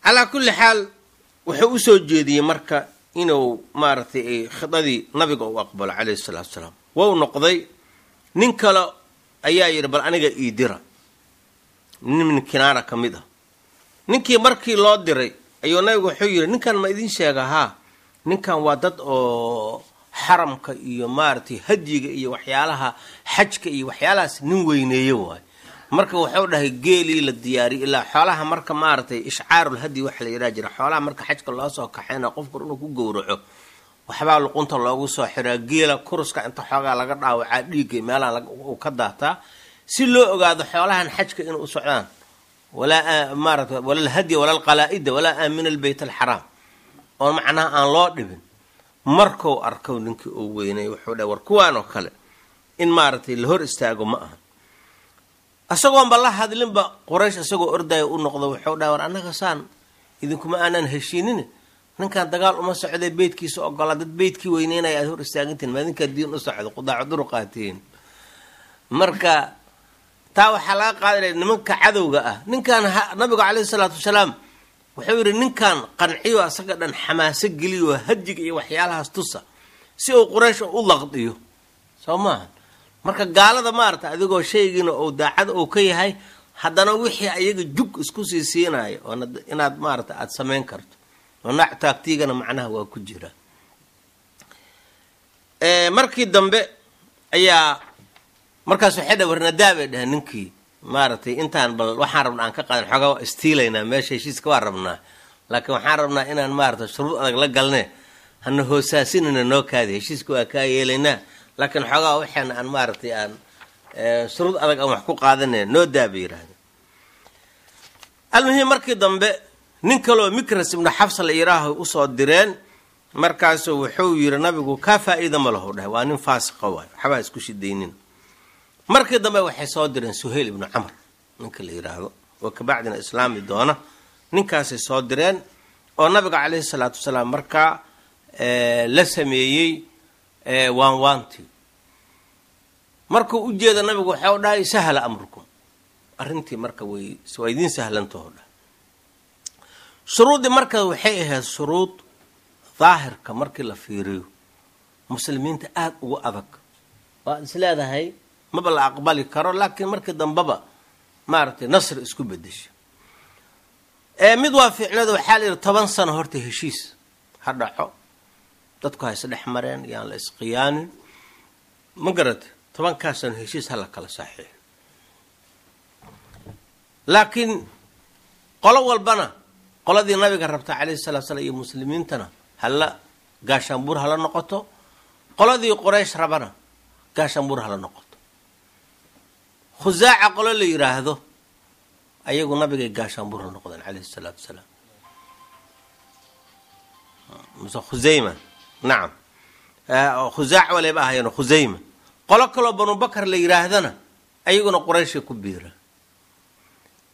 Calaa kulli xaal wuxuu usoo jeediyey marka inuu maaragtay khidadii nabiga uu aqbalo calayhi salaatu salaam. Wou noqday, nin kale ayaa yidhi bal aniga ii dira, nin min Kinaana ka mid ah. Ninkii markii loo diray ayuu nabigu wuxuu yidhi, ninkan ma idin sheega? Haa, ninkan waa dad oo xaramka iyo maaragtay hadyiga iyo waxyaalaha xajka iyo waxyaalahaas nin weyneeye waayo. Marka wuxuu dhahay geelii la diyaariyay ilaa xoolaha, marka maaragtay ishcaarul hadyi waxa la yidhaha jira, xoolaha marka xajka loo soo kaxayna qofku inuu ku gowraco waxbaa luqunta loogu soo xiraa geela, kuruska inta xoogaa laga dhaawacaa, dhiigga meelaha uu ka daataa, si loo ogaado xoolahan xajka inuu u socdaan, walaa maarata wala alhadya wala alqalaa'ida walaa aamina albeyt alxaraam, oo macnaha aan loo dhibin. Markuu arkow ninkii uu weynay wuxuu dhahay war kuwaan oo kale in maaragtay la hor istaago ma aha. Isagoonba la hadlinba Quraysh isagoo ordaya u noqdo wuxuu dhahay war annaga saan idinkuma aanan heshiinin, ninkan dagaal uma socday, beytkiisa ogolaa, dad beytkii weyneynaya aad hor istaagantihin, ma idinkaa diin u socdo, qudaacu duruqaatiin. Marka taa waxaa laga qaadanaya nimanka cadowga ah. Ninkan nabigu calayhi salaatu wasalaam wuxuu yidhi ninkan qanciyo, asaga dhan xamaaso geliyo, hadyiga iyo waxyaalahaas tusa si uu Quraysh u laqdiyo, soo maaha? Marka gaalada maarata adigoo shaygiina uu daacad uu ka yahay, haddana wixii ayaga jug isku sii siinayo oo inaad maarata aada samayn karto oo naac taagtiigana macnaha waa ku jira. Markii dambe ayaa markaas waxay dha warnadaa bay dhaheen ninkii maaragtay intaan bal waxaan rabnaa aan ka qaadan, xoogaa waa istiilaynaa meesha, heshiiska waa rabnaa, laakiin waxaan rabnaa inaan maarata shuruud adag la galne, hana hoosaasinina, noo kaadi, heshiiska waa kaa yeelaynaa, laakiin xoogaa waxaana aan maaragtay aan shuruud adag aan wax ku qaadane noo daa bay yidhahdeen. Almuhiim markii dambe nin kaloo Mikras ibnu Xafsa la yiraaho usoo direen, markaasuu wuxuu yidhi nabigu kaa faa'iida ma lahu dhahay, waa nin faasiqa waay, waxbaa isku shidaynin. Markii dambe waxay soo direen Suhayl ibnu Camr ninka la yidhaahdo, oo kabacdina islaami doona. Ninkaasay soo direen oo nabiga caleyhi salaatu wasalaam markaa la sameeyey waanwaantii. Markuu u jeeda nabigu waxau dhahay sahla amrukum, arrintii marka way waa idiin sahlantaho dhahay. Shuruuddii marka waxay ahayd shuruud daahirka markii la fiiriyo muslimiinta aada ugu adag, waad is leedahay maba la aqbali karo, laakiin markii dambeba maaragtay nasri isku bedesha. Mid waa fiicnada, waxaa la yidhi 10 sano horta heshiis ha dhaco, dadku ha isdhex mareen, yaan la isqiyaanin, ma garata, 10-kaas sano heshiis ha la kala saxiixo. Laakiin qolo walbana, qoladii nabiga rabta calayhi salatu slam iyo muslimiintana hala gaashaanbuur hala noqoto, qoladii Qoraysh rabana gaashaanbuur hala noqoto. Khusaaca qolo la yidhaahdo ayagu nabigay gaashaanbuur hala noqdeen calayhi salaatu wasalaam, mase Khusayma, nacam, Khusaac waleyba ahaayeen Khusayma. Qolo kaloo Banu Bakar la yidhaahdana ayaguna Qurayshay ku biira.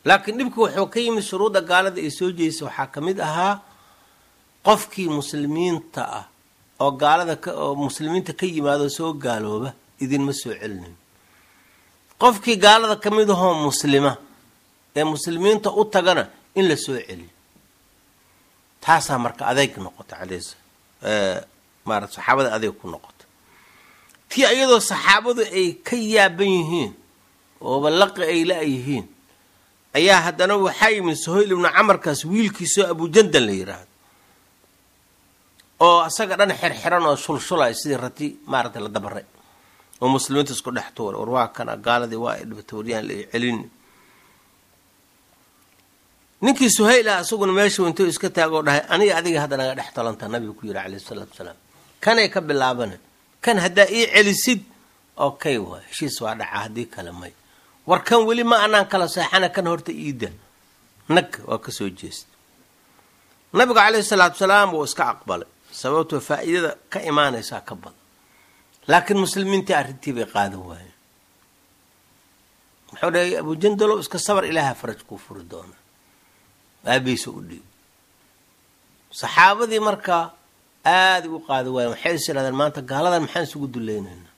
Laakiin dhibku wuxuu ka yimid shuruudda gaalada ay soo jeedisay waxaa ka mid ahaa qofkii muslimiinta ah oo gaalada oo muslimiinta ka yimaado soo gaalooba idinma soo celinayo, qofkii gaalada ka mid ahoo muslima ee muslimiinta u tagana in la soo celiyo. Taasaa marka adeyg noqota caleys maarata saxaabada adeyg ku noqota, tii iyadoo saxaabadu ay ka yaaban yihiin ooba laqi ay la-yihiin ayaa haddana waxaa yimid Suhayl ibnu Camarkaas wiilkiisoo Abujandal la yidhaahdo, oo asaga dhan xirxiran oo shulshulay sidii rati maaragtay la dabaray, oo muslimiinta isku dhex tuuray. War waa kana gaaladii waa ay dhibatay, waryaan la celin. Ninkii Suhayl ah isaguna meeshu intuu iska taagoo dhahay aniga adiga hadda naga dhex talantaa, nabiga ku yidhi calayhi salaatu wasalaam, kanay ka bilaabana, kan haddaa ii celisid okay waay, heshiis waa dhaca, haddii kale may. War kan weli ma anaan kala seexana, kan horta iida nag waa ka soo jeesta. Nabigu calayhi salaatu wasalaam wuu iska aqbalay, sababtoo faa'iidada ka imaanaysaa ka badan. Laakiin muslimiintii arrintii bay qaadan waayeen. Muxuu dhahay Abujandalow, iska sabar, ilaaha faraj kuu furi doona. Aabihiisa u dhiib. Saxaabadii markaa aaday u qaadi waayeen, waxay is idhahdeen maanta gaaladan maxaan isugu dulaynaynaa.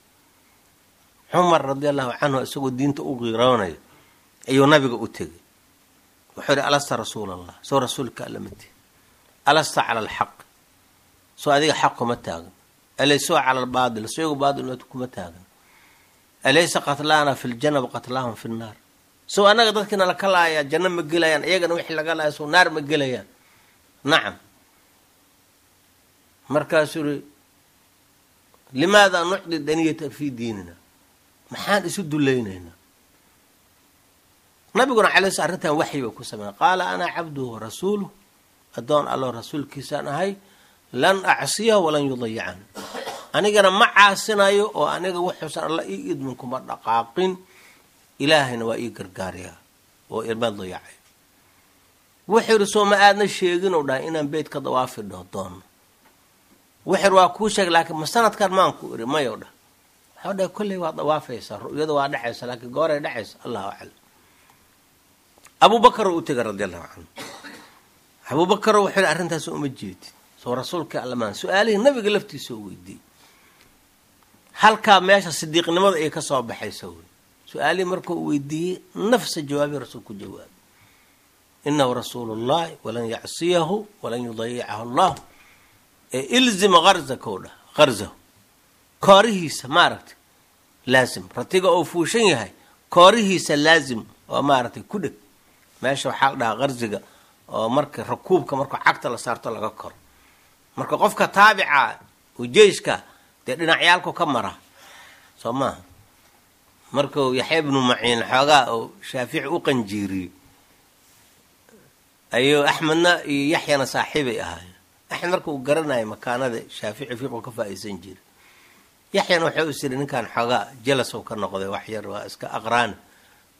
Cumar radia allahu canhu isagoo diinta u qiiroonayo ayuu nabiga u tegay. Wuxuu ihi alasta rasuul allah, soo rasuulka alla ma tihi? Alasta cala alxaq, soo adiga xaq kuma taagan? Alaysoo cala albaatil, soo iyagu baatil kuma taagan? Alaysa qatlaana fi ljana waqatlaahum fi nnaar, sow annaga dadkiina laka laayaa janno ma gelayaan, iyagana wixii laga laaya sow naar ma gelayaan? Nacam. Markaasuu uri limaada nucdi daniyata fii diinina, maxaan isu dulaynaynaa? Nabiguna calay sl arrintan waxyi ba ku sameeyey. Qaala ana cabduhu warasuuluh, addoon allo rasuulkiisaan ahay, lan acsiyahu walan yudayicani, anigana ma caasinayo oo aniga wuxuusan alla ii idmin kuma dhaqaaqin, ilaahayna waa ii gargaarayaa oo ima dayacay. Wuxuu yidhi soo ma aadna sheegin ou dhahay inaan beyt ka dawaafi doono? Wuxuu yidhi waa kuu sheegay, laakiin ma sanadkan maan ku iri mayow dhah. Waxuu dhahay kolley waa dawaafaysaa, ru'yada waa dhacaysa, laakiin gooray dhacaysa allahu aclam. Abubakar u tegay radi allahu canhu. Abubakar wuxuu yidhi arrintaas uma jeedid, soo rasuulkii allamaan su-aalihii nabiga laftiisa u weydiiyey, halkaa meesha sidiiqnimada ay ka soo baxaysa wey. Su-aalihii markuu weydiiyey nafsa jawaabii rasuulku jawaabay, inahu rasuulu llahi walan yacsiyahu walan yudayicahu allah, ee ilzim harzaka dhah, harzahu koorihiisa maaragtay laazim, ratiga oo fuushan yahay koorihiisa laazim oo maaragtay ku dheg. Meesha waxaa la dhahaa harziga oo marka rakuubka markuu cagta la saarto laga koro, marka qofka taabica oo jeyshka dee dhinacyaalku ka mara soo maaha. Markuu Yaxya ibnu Maciin xoogaa oo Shaafici u qanjiiriyey ayuu Axmedna iyo Yaxyana saaxiibay ahaayeen. Axmed marka uu garanayo makaanada Shaafici fiiqu ka faa-iisan jiray, Yaxyana wuxuu is yidhi ninkan xoogaa jelasow ka noqday wax yar waa iska aqraani,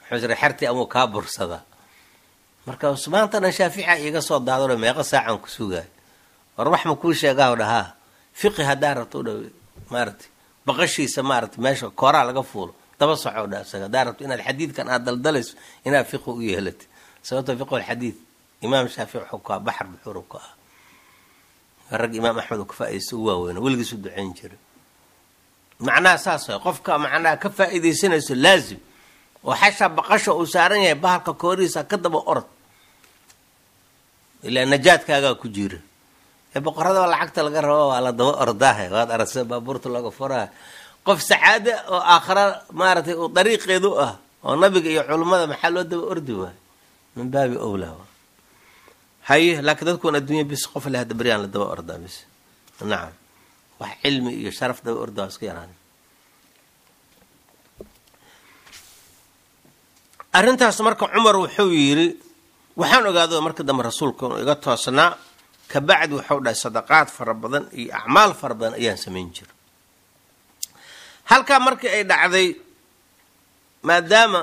wuxuu is yidhi xertii amuu kaa bursadaa. Marka maanta dhan Shaafica iiga soo daadano meeqa saacan ku sugaayo, war wax ma kuu sheegaa dhahaa fiqi haddaa rabto dha maaratay baqashiisa maaratay meesha kooraa laga fuulo Daba soco dha isaga haddaa rabto inaad xadiidkan aad daldalayso inaad fiqi u yeelatid, sababta fiqhu alxadiid Imaam Shaafici wuxuu ku ah baxar buxuuru ku ah, rag Imaam Axmed uu ka faaidaysta u waaweyna, weligiis u ducayn jiray. Macnaha saas way, qofka macnaha ka faa'iidaysanayso laazim oo xashaa baqasha uu saaran yahay bahalka koorihiisa ka daba orod, ilaa najaadkaagaa ku jira. Ee boqorada lacagta laga rabo waa la daba ordaahe, waad aragsa baabuurta looga furaha. Qof sacaado oo aakhara maaragtay uu dariiqeedu ah oo nabiga iyo culummada maxaa loo daba ordi waayo? Min baabi owlaa haye. Laakiin dadkuwan adduunya bis qof le hadda beryaan la daba ordaa bis, nacam, wax cilmi iyo sharaf daba orda waa iska yaraan. Arrintaas marka Cumar wuxuu yidhi waxaan ogaado marka dambe rasuulka inuu iga toosnaa. Kabacdi wuxuu dhahay sadaqaad fara badan iyo acmaal fara badan ayaan samayn jira. Halkaa markii ay dhacday, maadaama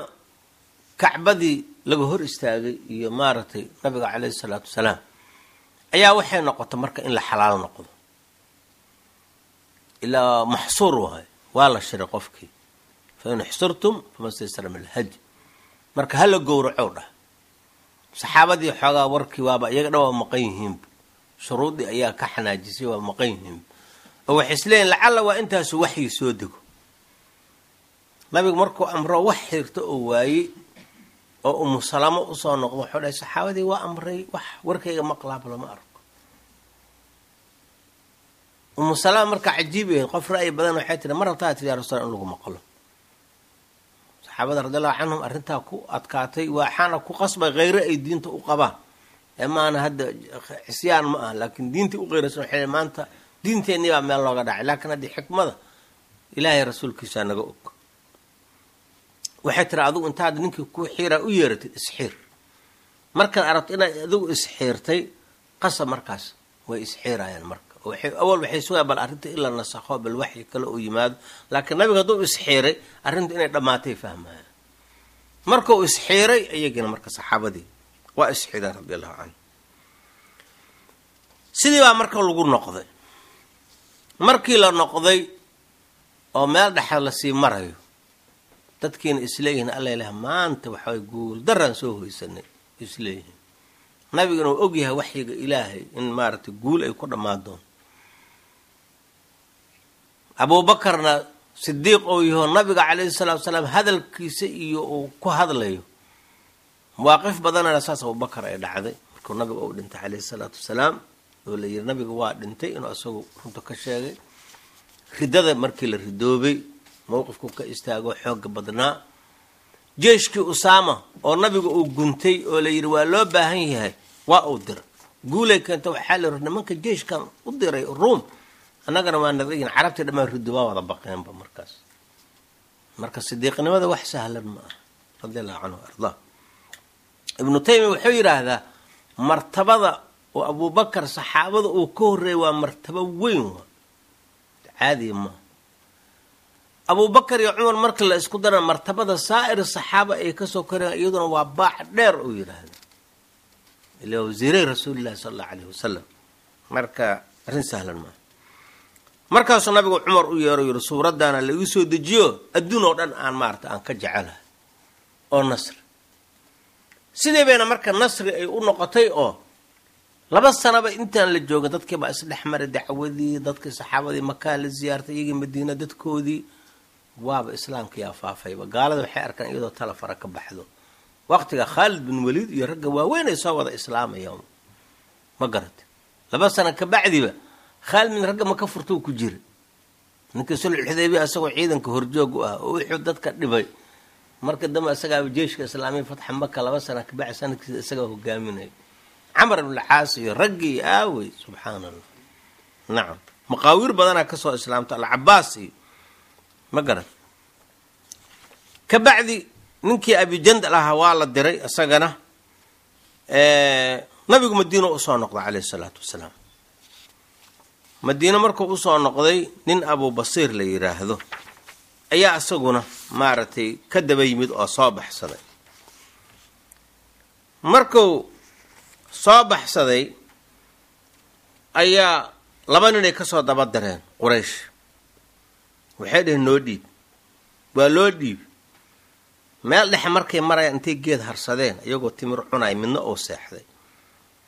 kacbadii laga hor istaagay iyo maaragtay nabiga caleyhi salaatu wasalaam, ayaa waxay noqotay marka in la xalaal noqdo, ilaa maxsuur wahay, waa la shiray qofkii, fa in xsurtum fama staysara min alhadi, marka hala gowracow dhah. Saxaabadii xoogaa warkii waaba iyaga dhan waa maqan yihiinba, shuruuddii ayaa ka xanaajisay, waa maqan yihiinba, oo waxay isleeyihin lacalla waa intaasu waxyi soo dego. Nabigu markuu amro wax xirto oo waayey oo Umu Salamo usoo noqdo, wuxuu dhahay saxaabadii waa amray, wax warkayga maqlaaba lama arko. Umu Salama marka cajiib ahayd, qof ra'yi badan, waxay tihi ma rabtaa tiri ya rasuul in lagu maqlo? Saxaabada radiallahu canhum arrintaa ku adkaatay, waxaana ku qasbay kheyre ay diinta u qabaan, ee maana hadda cisyaan ma aha, laakiin diintii u qeyraysan waxay maanta diinteennii baa meel looga dhacay. Laakiin haddii xikmada Ilaahay rasuulkiisaa naga og, waxay tiri adigu intaad ninkii ku xiiraa u yeeratid isxiir, markaad aragto inaad adigu isxiirtay qasab markaas way isxiirayaan. Marka awal waxay sugayaan bal arrinta in la nasakho, bal waxyi kale uu yimaado, laakiin nabiga hadduu isxiiray arrintu inay dhammaatay fahmayaan. Markuu isxiiray iyagina marka saxaabadii waa isxiireen radi allahu canhu. Sidii baa marka lagu noqday. Markii la noqday oo meel dhexda lasii marayo, dadkiina isleeyihiin alla ilaah maanta waxaway guul daraan soo hoysanay isleeyihiin, nabiguna uu ogyahay waxyiga Ilaahay in maaragtay guul ay ku dhammaan doonto, Abuubakarna sidiiq ou yaho, nabiga calayhi salaatu wasalaam hadalkiisa iyo uu ku hadlayo mawaaqif badanana saas Abubakar ay dhacday. Markuu nabiga uu dhintay calayhi salaatu wasalaam oo la yiri nabiga waa dhintay, inuu isagu runta ka sheegay. Riddada markii la ridoobay mowqifku ka istaago xooga badnaa. Jeeshkii Usaama oo nabiga uu guntay oo la yidhi waa loo baahan yahay, waa uu diray, guulay keenta. Waxaa la yidhi nimanka jeeshkan u diray Ruum annagana waa nadayin, carabtii dhammaan riddo waa wada baqeenba markaas. Marka sidiiqnimada wax sahlan ma ah, radi allahu canhu ardaa. Ibnu Taymiya wuxuu yidhaahdaa martabada oo Abuubakar saxaabada uu ka horreeyay waa martabo weyn, waa caadiya maaha. Abuubakar iyo Cumar marka la isku dara martabada saa'ir saxaaba ay kasoo koreen iyaduna waa baac dheer, uu yidhaahda, ila wasiiray rasuulillahi sala allahu alayhi wasalam. Marka arrin sahlan maaha. Markaasuu nabigu Cumar u yeero yidhi suuraddaana la igu soo dejiyo adduun oo dhan aan maarata aan ka jecelahay oo nasri. Sidii bayna marka nasri ay u noqotay oo 2 sanaba intaan la joogin dadkii baa isdhex maray dacwadii, dadkii saxaabadii Makaa la ziyaartay, iyagii Madiina dadkoodii waaba islaamkiyaa faafayba. Gaalada waxay arkaan iyadoo tala fara ka baxdo waqtiga Khaalid bin Waliid iyo ragga waaweyn ay soo wada islaamayaan, ma garata? 2 sano kabacdiba Khaalid bin ragga maka furtou ku jira, ninkii sulxudaybiya isagoo ciidanka horjoog u ah oo wuxuu dadka dhibay, marka dambe isagaaba jeeshka islaamiya fatxa Maka 2 sana kabacdi sanadkiisa isagaa hogaaminaya, Camar ibnulcaas iyo raggii aawey, subxaana allah. Nacam, maqaawiir badanaa kasoo islaamta, Alcabaas iyo ma garat. Kabacdi ninkii Abijandal ahaa waa la diray isagana. Nabigu Madiino usoo noqday caleyhi salaatu wasalaam. Madiino markuu usoo noqday, nin Abubasiir la yidhaahdo ayaa isaguna maaragtay ka daba yimid oo soo baxsaday. Markuu soo baxsaday ayaa 2 ninay kasoo daba direen Quraysh, waxay dheheen noo dhiib. Waa loo dhiib. Meel dhexe markay marayaan intay geed harsadeen iyagoo timir cunay, midna oo seexday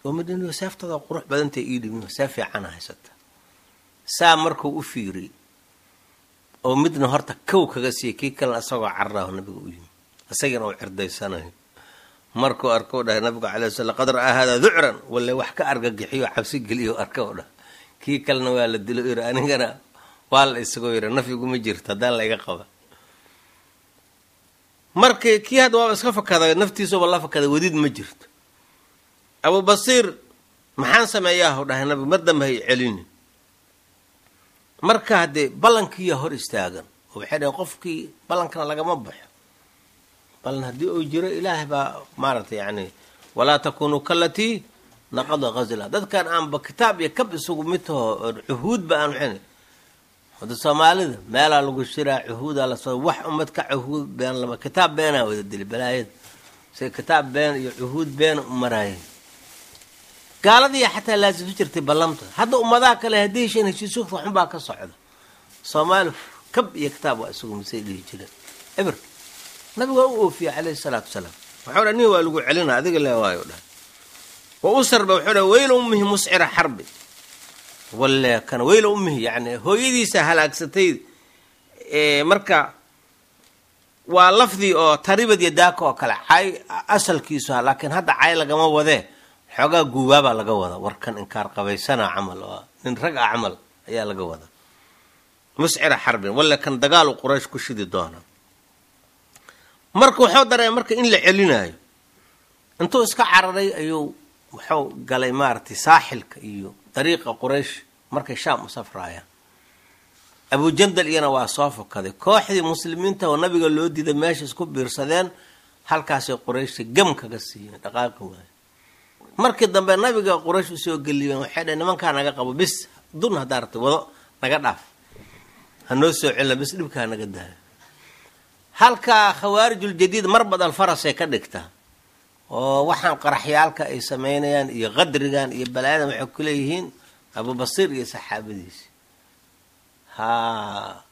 oo midna seeftada qurux badantay ii dhibin, see fiicana haysata. Saa markuu u fiiriyey oo midna horta kow kaga siiyey, kii kalena isagoo carraaho nabiga u yimi, isagiina uu cirdaysanayo. Markuu arkou dhahay nabigu calay sl, laqad ra'aa haadaa ducran, walle wax ka argagixiyo cabsi geliyo arka dhahay. Kii kalena waa la dilo yiri, anigana waa la isagoo yiri nafiguma jirto haddaan la iga qaba. Markii kii hadda waaba iska fakaday, naftiisuba la fakaday, wadid ma jirto. Abubasiir maxaan sameeyaahu dhahay nabigu, mar dambe hay celinin. Marka haddee ballankiiyaa hor istaagan oo waxay dhaheen qofkii ballankana lagama baxo, ballan haddii uu jiro Ilaahay baa maaragtay yacni walaa takunuu kalatii naqada ghazla. Dadkan aanba kitaab iyo kab isugu mid taho, cuhuudba aan waxayn. Hada Soomaalida meelaa lagu shiraa, cuhuudaa lasoo wax ummad ka cuhuud been lama kitaab beenaa wada dili balaayada, say kitaab been iyo cuhuud beena u maraayeen. Gaaladiiya xataa laasimsan jirtay ballamta. Hadda ummadaha kale haddii hesheen heshiisugta waxunbaa ka socda. Soomaali kab iyo kitaab waa isugu misay dhihi jireen eber. Nabigu waa u oofiyey calayhi salaatu wasalaam, waxau dha nin waa lagu celina adiga le waayo dhahay wa usarba. Wuxuu dhahay weyla ummihi muscira xarbi, walle kana weyla ummihi, yacni hooyadiisa halaagsatay. Marka waa lafdi oo taribad iyo daaka oo kale cay asalkiisu ha, laakiin hadda cay lagama wadee, xoogaa guubaabaa laga wada, warkan inkaar qabaysana camal oo nin rag ah camal ayaa laga wada. Muscira xarbin, walle kan dagaalu Quraysh ku shidi doona. Marka wuxuu dareemay marka in la celinaayo, intuu iska cararay ayuu wuxuu galay maaragtay saaxilka iyo dariiqa Quraysh markay Shaam u safraayaan. Abujandal iyana waa soo fakaday. Kooxdii muslimiinta oo nabiga loo diiday meesha isku biirsadeen, halkaasay Qurayshta gam kaga siiyeen, dhaqaaqi waayo. Markii dambe nabiga Quraysh usoo geliyeen, waxay dhaheen nimankaa naga qabo bis, dun haddaa rabtay wado, naga dhaaf, hanoo soo celina bis, dhibka hanaga daayo. Halkaa khawaarijul-jadiid mar badal farasay ka dhigtaa oo waxaan qaraxyaalka ay samaynayaan iyo qadrigan iyo balaayadan waxay ku leeyihiin Abubasiir iyo saxaabadiisi. Ha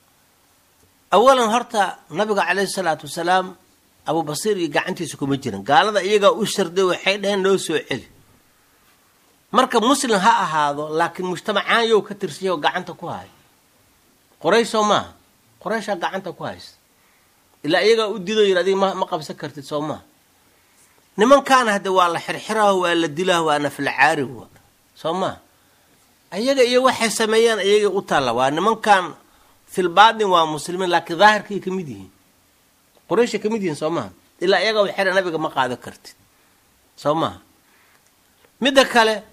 awalan horta nabiga calayhi salaatu wasalaam Abubasiir iyo gacantiisa kuma jiran, gaalada iyagaa u sharday, waxay dhaheen noo soo celi. Marka muslim ha ahaado, laakiin mujtamacaan yow ka tirsanya oo gacanta ku hayo Qoraysh soo maaha? Qorayshaa gacanta ku haysta, ilaa iyagaa u dido yiri adiga ma qabsan kartid soo maaha? Nimankaana hadde waa la xirxiraho, waa la dilaho, waa naflacaari wa soo maaha? Ayaga iyo waxay sameeyaan iyaga u taalla. Waa nimankan filbaatin waa muslimiin, laakiin daahirkay ka mid yihiin, Qorayshay ka mid yihiin soo maha? Ilaa iyaga waxay nabiga ma qaado kartid soo maha? Midda kale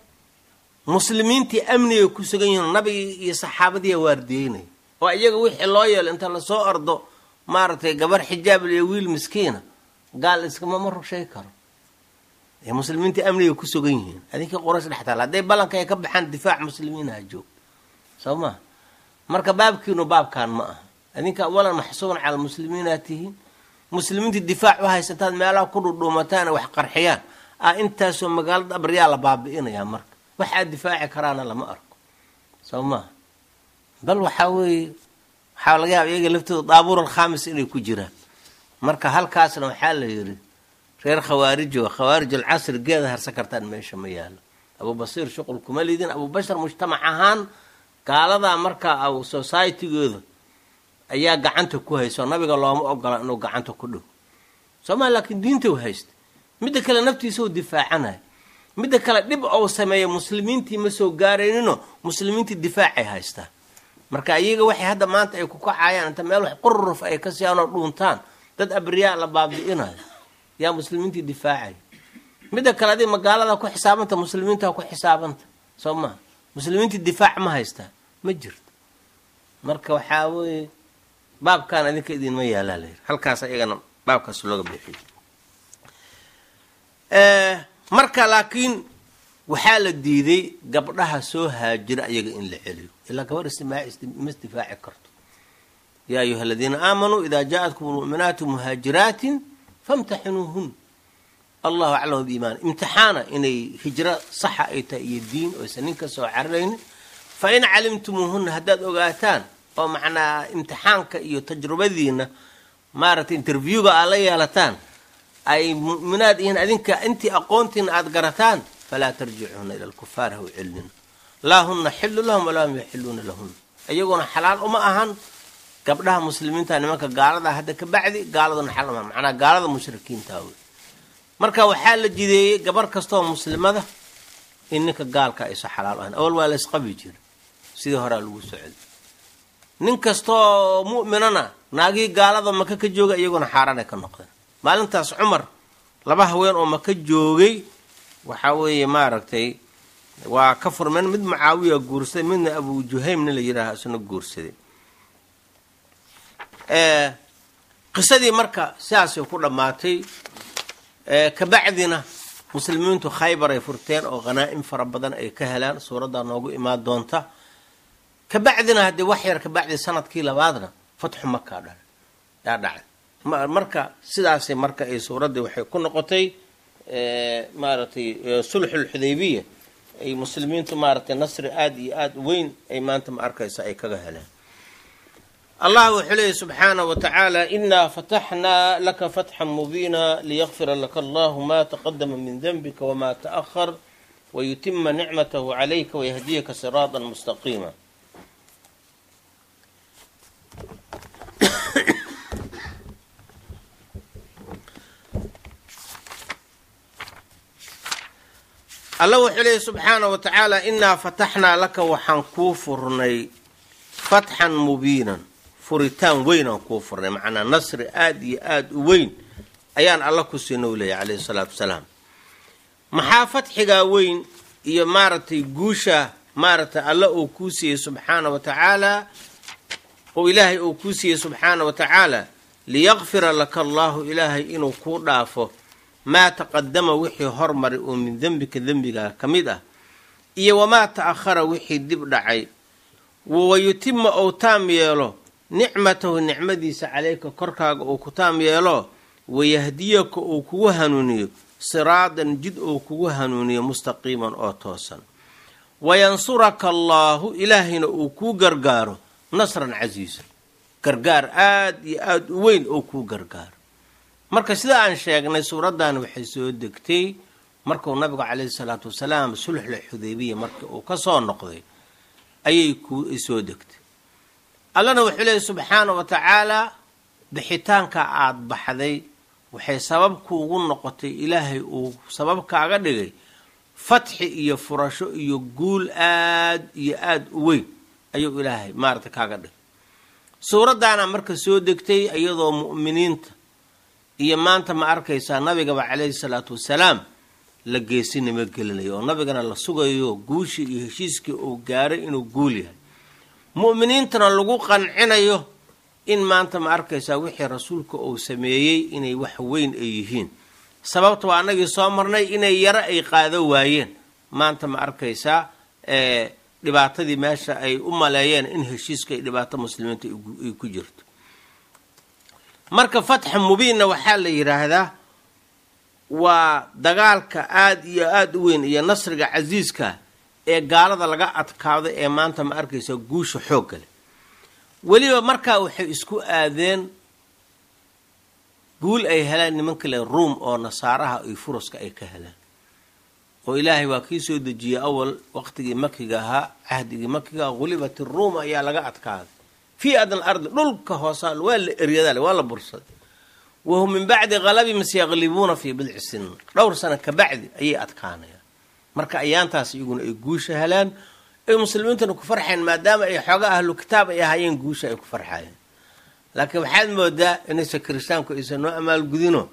muslimiintii amnigay ku sugan yihiin, nabigii iyo saxaabadiiya waardiyeynaya, oo iyaga wixii loo yeelo inta lasoo ordo maaragtay gabar xijaab iyo wiil miskiina gaal iskama ma rushay karo. Muslimiintii amnigay ku sugan yihiin, adinkii Qoraysh dhex taala hadday ballanka ay ka baxaan difaac muslimiinaha joog soo maha? Marka baabkiinu baabkan ma aha. Adinka awalan maxsuuban cala muslimiinaa tihiin, muslimiintii difaac u haysataan, meelaha ku dhudhuumataan wax qarxiyaan intaasoo magaalada abriyaa la baabi'inayaa. Marka waxaad difaaci karaana lama arko soo maha? Bal waxaa weeye waxaa laga yaaba iyaga laftooda daabuur alkhaamis inay ku jiraan. Marka halkaasna waxaa la yidhi reer khawaarijo, khawaarij alcasri, geeda harsan kartaan meesha ma yaalo. Abubasiir shuqul kuma lidin. Abubashar mujtamac ahaan gaaladaa markaa societygooda ayaa gacanta ku hayso, nabiga looma ogola inuu gacanta ku dhigo sooma? Laakiin diinta u haysta, midda kale naftiisa u difaacanayo, midda kale dhib ou sameeya muslimiintii ma soo gaaraynino, muslimiintii difaacay haystaan. Marka iyaga waxay hadda maanta ay ku kacayaan inta meel wax quruf ay ka siiyaan oo dhuuntaan, dad abriyaa la baabi'inayo, yaa muslimiintii difaacaya. Midda kale adig magaalada ku xisaabanta, muslimiinta ku xisaabanta soo maha? Muslimiintii difaac ma haystaa? Ma jirto. Marka waxaa weeye baabkan adinka idinma yaalaa layidhi, halkaas iyagana baabkaas looga bixiyo. Marka laakiin waxaa la diiday gabdhaha soo haajira iyaga in la celiyo, ilaa gabadh ma isdifaaci karto. Yaa ayuha aladiina aamanuu idaa jaa-atkum lmu'minaatu muhaajiraatin famtaxinuuhun, allahu aclamu biimaan. Imtixaana inay hijro saxa ay tahay iyo diin oysan nin ka soo cararaynin. Fa in calimtumuuhunna, haddaad ogaataan oo macnaa imtixaanka iyo tajrubadiina Maaragtay, interviewga aad la yeelataan ay mu'minaad yihiin, adinka intii aqoontiina aada garataan, falaa tarjicuuna ila alkufaar, ha u celnina. Laa huna xillu lahum walaa hum yaxiluuna lahun, iyaguna xalaal uma ahan gabdhaha muslimiinta nimanka gaalada hadda ka bacdi, gaaladuna xalaal uma ahan, macnaa gaalada mushrikiinta wey. Marka waxaa la jideeyey gabar kastaoo muslimada in ninka gaalka aysa xalaal ahayn. Awal waa la isqabi jira, sidii horaa lagu socday. Nin kastaoo mu'minana naagihii gaalada Maka ka jooga iyaguna xaaraanay ka noqdeen. Maalintaas Cumar laba haween oo Maka joogay waxaa weeye maaragtay waa ka furmeen, mid Mucaawiya guursaday, midna Abu Juhaym nin la yidhaaha isna guursaday. Qisadii marka sidaasay ku dhammaatay. Kabacdina muslimiintu Khaybar ay furteen oo khanaa'im fara badan ay ka helaan, suuraddaa noogu imaan doonta. Kabacdina haddii wax yar kabacdi sanadkii labaadna fatxu Makaa dhalay yaa dhacay. Marka sidaasay marka ay suuraddii waxay ku noqotay maaragtay sulxulxudaybiya ay muslimiintu maaragtay nasri aada iyo aada u weyn ay maanta ma arkaysa ay kaga heleen. Allah wuxuu leeyay subxaanaه wa tacaala: inaa fataxnaa laka fatxan mubiina liyakfira laka allahu ma taqadama min denbika wma taأhar wayutima nicmatahu calayka wayahdiyaka siraada mustaqiima. Alla wuxuu leeyay subxaanaه wa tacaala: inaa fataxnaa laka, waxaan kuu furnay, fatxan mubiinan, furitaan weyn aan kuu furnay, macnaa nasri aada iyo aada u weyn ayaan Alla ku siina u leeyahy calayhi salaatu wasalaam. Maxaa fatxigaa weyn iyo maaragtay guusha maaragtay Alla uu kuu siiyey subxaana wa tacaala, oo Ilaahay uu kuu siiyey subxaana wa tacaala? Liyakfira laka allaahu, Ilaahay inuu kuu dhaafo, maa taqadama, wixii hormaray oo min dembika, dembigaa ka mid ah, iyo wamaa ta'ahara, wixii dib dhacay, wayutima, ou taam yeelo, nicmatahu, nicmadiisa, calayka, korkaaga uu ku taam yeelo, wayahdiyaka, uu kugu hanuuniyo, siraadan, jid uu kugu hanuuniyo, mustaqiiman, oo toosan, wayansuraka allaahu, Ilaahayna uu kuu gargaaro, nasran casiisa, gargaar aada iyo aada u weyn oo kuu gargaaro. Marka sida aan sheegnay, suuraddan waxay soo degtay markuu nabigu calayhi salaatu wasalaam sulxul xudaybiya markii uu ka soo noqday ayay ku soo degtay. Allana wuxuu leeyay subxaana wa tacaala: bixitaanka aada baxday waxay sabab kuugu noqotay, Ilaahay uu sabab kaaga dhigay fatxi iyo furasho iyo guul aad iyo aada u weyn ayuu Ilaahay maarata kaaga dhigay. Suuraddaana marka soo degtay iyadoo mu'miniinta iyo maanta ma arkaysaa nabigaba calayhi salaatu wasalaam la geesinimo gelinayo, oo nabigana la sugayo guushii iyo heshiiskii uu gaaray inuu guul yahay, mu'miniintana lagu qancinayo in maanta ma arkaysaa wixii rasuulka uu sameeyey inay wax weyn ay yihiin. Sababta waa annagii soo marnay inay yaro ay qaado waayeen maanta ma arkaysaa dhibaatadii meesha ay u maleeyeen in heshiiska ay dhibaato muslimiinta ay ku jirto. Marka fatxa mubiinna waxaa la yidhaahdaa waa dagaalka aada iyo aada u weyn iyo nasriga casiiska ee gaalada laga adkaado ee maanta ma arkaysa guusha xoogga leh. Weliba markaa waxay isku aadeen guul ay helaan nimanka le Ruum oo nasaaraha iyo furuska ay ka helaan, oo Ilaahay waa kii soo dejiyey awal waqtigii makiga ahaa, cahdigii makiga, ghulibat iruum, ayaa laga adkaaday, fii adna alardi, dhulka hoosaa waa la eryadaale, waa la bursaday. Wahum min bacdi halabihim sayaqlibuuna fii bidci sinin, dhowr sano kabacdi ayay adkaanayaan. Marka ayaantaas iyaguna ay guusha helaan ay muslimiintuna ku farxeen, maadaama ay xooga ahlu kitaab ay ahaayeen, guusha ay ku farxayeen. Laakiin waxaad moodaa inaysa kiristaanku aysan noo amaalgudino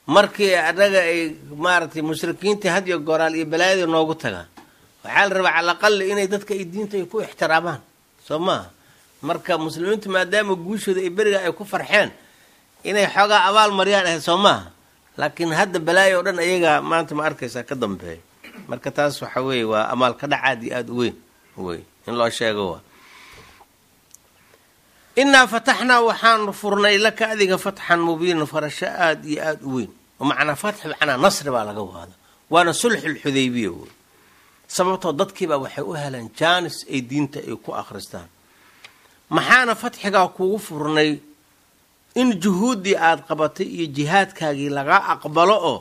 markii annaga ay maaragtay mushrikiintii had iyo goraal iyo balaayadii noogu tagaan. Waxaa la rabaa cala aqali inay dadka ay diinta ay ku ixtiraamaan, soo maaha? Marka muslimiintu maadaama guushooda ay beriga ay ku farxeen inay xoogaa abaal mariyaan ahayd, soo maaha? Laakiin hadda balaayo o dhan ayaga maanta ma arkaysaa ka dambeeya. Marka taas waxa weeye waa amaal ka dhac aad iyo aada u weyn wey in loo sheego. Waa innaa fataxnaa, waxaanu furnay, laka adiga, fatxan mubiinan, farasho aada iyo aada u weyn. Macnaa fatx macnaa nasri baa laga waada, waana sulxulxudaybiya wey. Sababtoo dadkiibaa waxay u heleen jaanis ay diinta ay ku akhristaan. Maxaana fatxigaa kugu furnay? In juhuuddii aada qabatay iyo jihaadkaagii lagaa aqbalo oo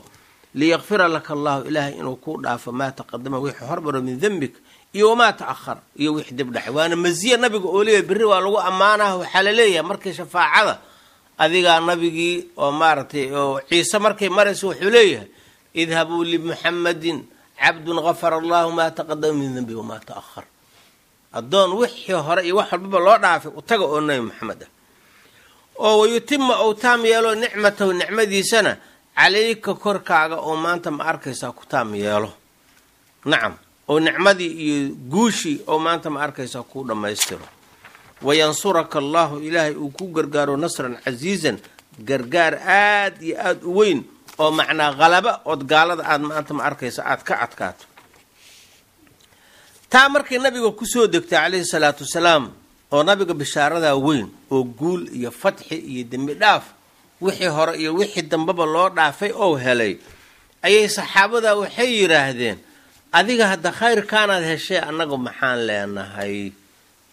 liyakfira laka allahu, ilaahay inuu kuu dhaafo, maa taqadama, wixii hormaro, min dembik iyo wamaa ta'ahara, iyo wixii dib dhacay. Waana masiya nabiga oo leeyahay berri waa lagu ammaanaha. Waxaa la leeyahay markii shafaacada adigaa nabigii oo maaragtay oo Ciise markay marayso, wuxuu leeyahay: "Idhabuu limuxamadin cabdun gafara allahu maa taqadama min dembi wamaa ta'ahar." Addoon wixii hore iyo wax walbaba loo dhaafay utaga oo Nabi Maxamed ah. Oo wayutima, ou taam yeelo, nicmatahu, nicmadiisana, calayka, korkaaga, oo maanta ma arkaysaa ku taam yeelo. Nacam, oo nicmadii iyo guushii oo maanta ma arkaysaa kuu dhammaystiro. Wayansuraka allahu, ilaahay uu ku gargaaro, nasran casiizan, gargaar aad iyo aada u weyn, oo macnaa qalaba ood gaalada aada maanta ma arkaysa aada ka adkaato. Taa markay nabiga kusoo degtay calayhi salaatu wasalaam, oo nabiga bishaaradaa weyn oo guul iyo fatxi iyo dembi dhaaf wixii hore iyo wixii dambeba loo dhaafay oo helay, ayay saxaabada waxay yidhaahdeen: "Adiga hadda khayrkaanaad heshee, annagu maxaan leenahay?"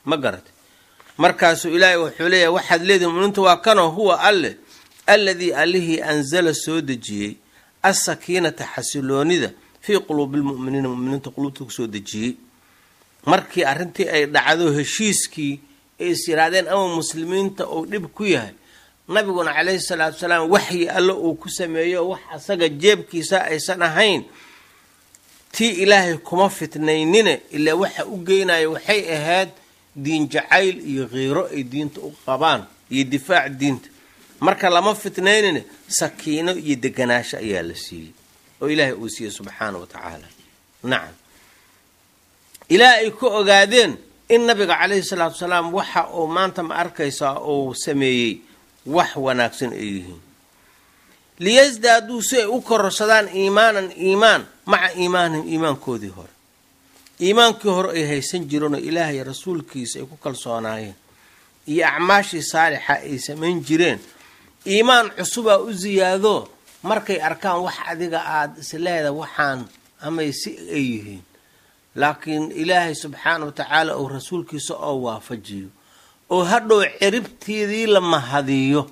Ma garatay? Markaasuu Ilaahay wuxuu leeyahay: waxaad leedihin, muminiinta, waa kanoo huwa Alle alladii, Allihii, anzala, soo dejiyey, asakiinata, xasiloonida, fii quluubi lmu'miniina, muminiinta quluubta kusoo dejiyey. Markii arrintii ay dhacdo, heshiiskii ay is yidhaahdeen ama muslimiinta uu dhib ku yahay, nabiguna calayhi salaatu wasalaam waxyi Alle uu ku sameeyo, wax asaga jeebkiisa aysan ahayn, tii Ilaahay kuma fitnaynine, ilaa waxa u geynaya waxay ahayd diin jacayl iyo khiiro ay diinta u qabaan iyo difaac diinta. Marka lama fitnaynine, sakiino iyo deganaasho ayaa la siiyey oo Ilaahay uu siiyey subxaana wa tacaala. Nacam, ilaa ay ku ogaadeen in nabiga calayhi salaatu wasalaam waxa uu maanta ma arkaysaa uu sameeyey wax wanaagsan ay yihiin. Liyasdaaduu, si ay u kororsadaan, iimaanan, iimaan, maca iimaanihim, iimaankoodii hore, iimaankii hore ay haysan jireenoo Ilaahay rasuulkiisa ay ku kalsoonaayeen iyo acmaashii saalixa ay samayn jireen. Iimaan cusubaa u siyaado markay arkaan wax adiga aada isleeda waxaan amay si ay yihiin, laakiin Ilaahay subxaana wa tacaala uu rasuulkiisa oo waafajiyo oo hadhow ciribteedii la mahadiyo.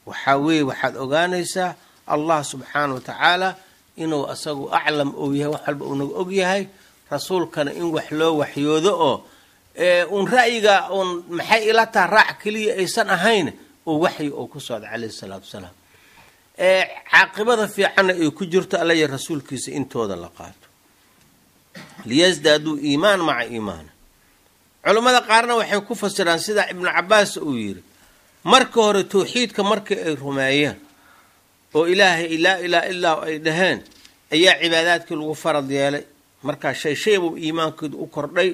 Waxaa weeye, waxaad ogaanaysaa Allah subxaana wa tacaala inuu asagu aclam uu yahay, wax walba uu naga og yahay, rasuulkana in wax loo waxyoodo oo uun ra'yiga uun maxay ila taha raac keliya aysan ahayn, oo waxyi oo ku socda calayhi salaatu wasalaam, caaqibada fiicanna ay ku jirto Alla iyo rasuulkiisa intooda la qaato. Liyasdaaduu iimaan maca iimaana. Culammada qaarna waxay ku fasiraan sida Ibnu Cabaas uu yidhi: marka hore towxiidka markii ay rumeeyeen oo Ilaahay laa ilaaha illaa ay dhaheen, ayaa cibaadaadkii lagu farad yeelay. Markaa shay shay buu iimaankooda u kordhay.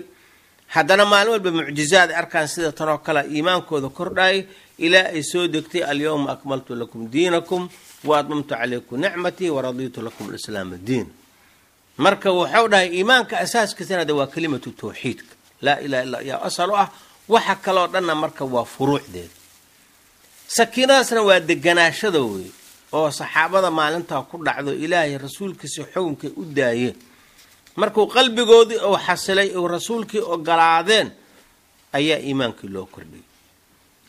Haddana maalin walba mucjizaad arkaan sida tanoo kale, iimaankooda kordhayay, ilaa ay soo degtay: "Alyawma akmaltu lakum diinakum wa atmamtu calaykum nicmatii waradiitu lakum alislaama diin." Marka wuxuu dhahay iimaanka asaaskiisana de waa kelimatu tawxiidka, laa ilaha illa yaa asal u ah, waxa kaloo dhanna marka waa furuucdeeda. Sakiinadaasna waa deganaashada wey oo saxaabada maalintaa ku dhacdo, Ilaahay rasuulkiisa xukunkay u daayeen. Markuu qalbigoodii uu xasilay uu rasuulkii ogolaadeen, ayaa iimaankii loo kordhiyay.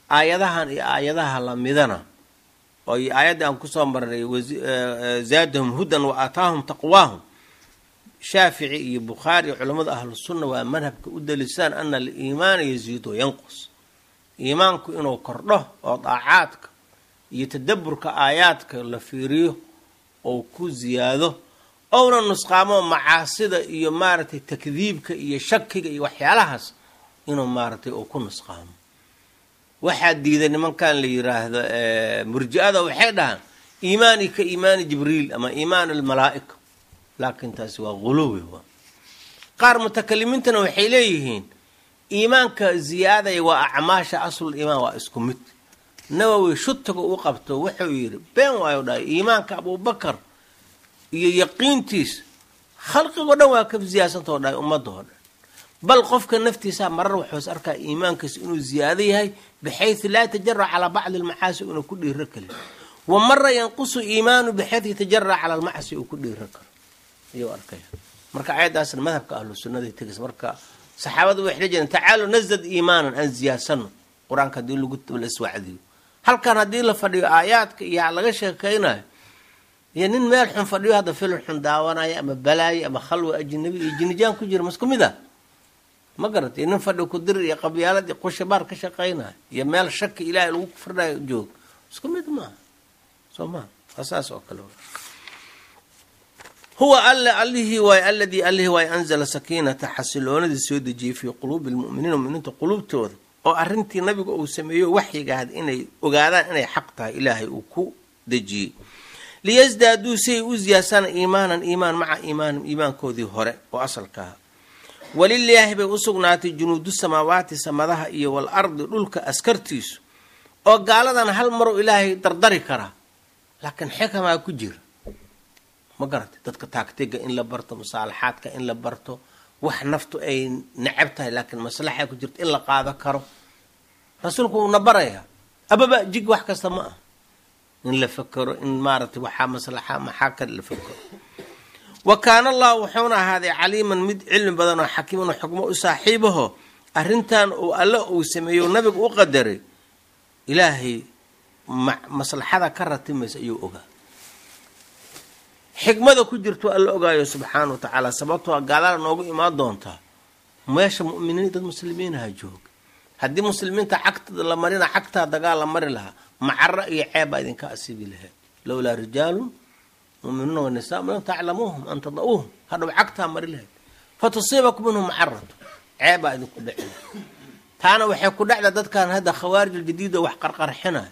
Aayadahan iyo aayadaha lamidana oo iyo aayaddii aan kusoo marnay, zaadahum hudan wa aataahum taqwaahum, Shaafici iyo Bukhaari iyo culammada ahlusunna waa madhabka u daliishaan ana aliimaana yaziidu wayanqus, iimaanku inuu kordho oo daacaadka iyo tadaburka aayaadka la fiiriyo ou ku ziyaado, ouna nusqaamo macaasida iyo maaragtay takdiibka iyo shakiga iyo waxyaalahaas inuu maaragtay uu ku nusqaamo. Waxaa diiday nimankan la yiraahdo murji-ada, waxay dhahaan iimaani ka iimaani Jibriil ama iimaan almalaa'ika, laakiin taasi waa guluwi. Waa qaar mutakalimiintana waxay leeyihiin iimaanka ziyaadaya waa acmaasha, aslul iimaan waa isku mid. Nawowi shutiga u qabto wuxuu yidhi been waayo, dhahay iimaanka Abuubakar iyo yaqiintiis khalqigoo dhan waa ka ziyaadsantaoo dhahay ummadda oo dhan, bal qofka naftiisa marar wuxuus arkaa iimaankiisa inuu ziyaado yahay bixaysu laa yatajara calaa bacdi almacaasi, inuu ku dhiiro kalin, wa mara yanqusu iimaanu bixaysu yatajara cala almacsi, uu ku dhiiro karo ayuu arkaya. Marka ayaddaasna madhabka ahlu sunnaday tegaysa. Marka saxaabadu waxay la jireen: "Tacaalu nasdad iimaanan," aan ziyaadsano qur-aanka haddii lagu la iswacdiyo. Halkan haddii la fadhiyo aayaadka iyo laga sheekaynayo, iyo nin meel xun fadhiyo hadda filin xun daawanaya ama balaayo ama khalwa ajnabi iyo jinijaan ku jira, masku mid ah? Ma garatay? Nin fadhi ku dir iyo qabyaalad iyo qushabaar ka shaqaynayo iyo meel shaki ilaahay lagu kufrinayo joog, isku mid maaha, soo maha? Waa saas oo kale. Huwa alle allihii waay, aladii allihii waay anzala sakiinata, xasiloonadii soo dejiyey, fii quluubi lmu'miniina, muminiinta quluubtooda, oo arrintii nabiga uu sameeyo waxyiga ahad inay ogaadaan inay xaq tahay Ilaahay uu ku dejiyey, liyasdaaduu, si ay u ziyaasaan, iimaanan, iimaan, maca iimaanihim, iimaankoodii hore oo asalka aha. Walilaahi bay u sugnaatay junuudu samaawaati, samadaha iyo wal ardi, dhulka askartiisu. Oo gaaladan hal maruu Ilaahay dardari karaa, laakiin xikamaa ku jira, ma garatay? Dadka taagtiga in la barto, musaalaxaadka in la barto, wax naftu ay necab tahay laakiin maslaxa ku jirto in la qaado karo, rasuulku uuna barayaa. Ababa jig wax kasta ma ah in la fakero, in maaragtay waxaa maslaxa maxaa kale la fakero. Wa kaana Allahu, wuxuuna ahaaday, caliiman, mid cilmi badan oo xakiiman oo xukmo u saaxiibaho. Arrintan uu alle uu sameeyo, nabigu u qadaray, Ilaahay maslaxada ka ratimaysa ayuu ogaa, xikmada ku jirto Alla ogaayo subxaana wa tacaala. Sababtoo gaalada noogu imaan doontaa meesha mu'miniin, dad muslimiinaha jooga. Haddii muslimiinta cagta la marina, cagtaa dagaal la mari lahaa, macaro iyo ceeb baa idinka asiibi lahayd. Lowlaa rijaalun muminuuna wanisa lam taclamuuhum an tada'uuhum, hadhow cagtaa mari lahayd, fatusiibakum minhum macaratu, ceeb baa idinku dhici lahayd. Taana waxay ku dhacda dadkan hadda khawaarij aljadiid oo wax qarqarxinayo,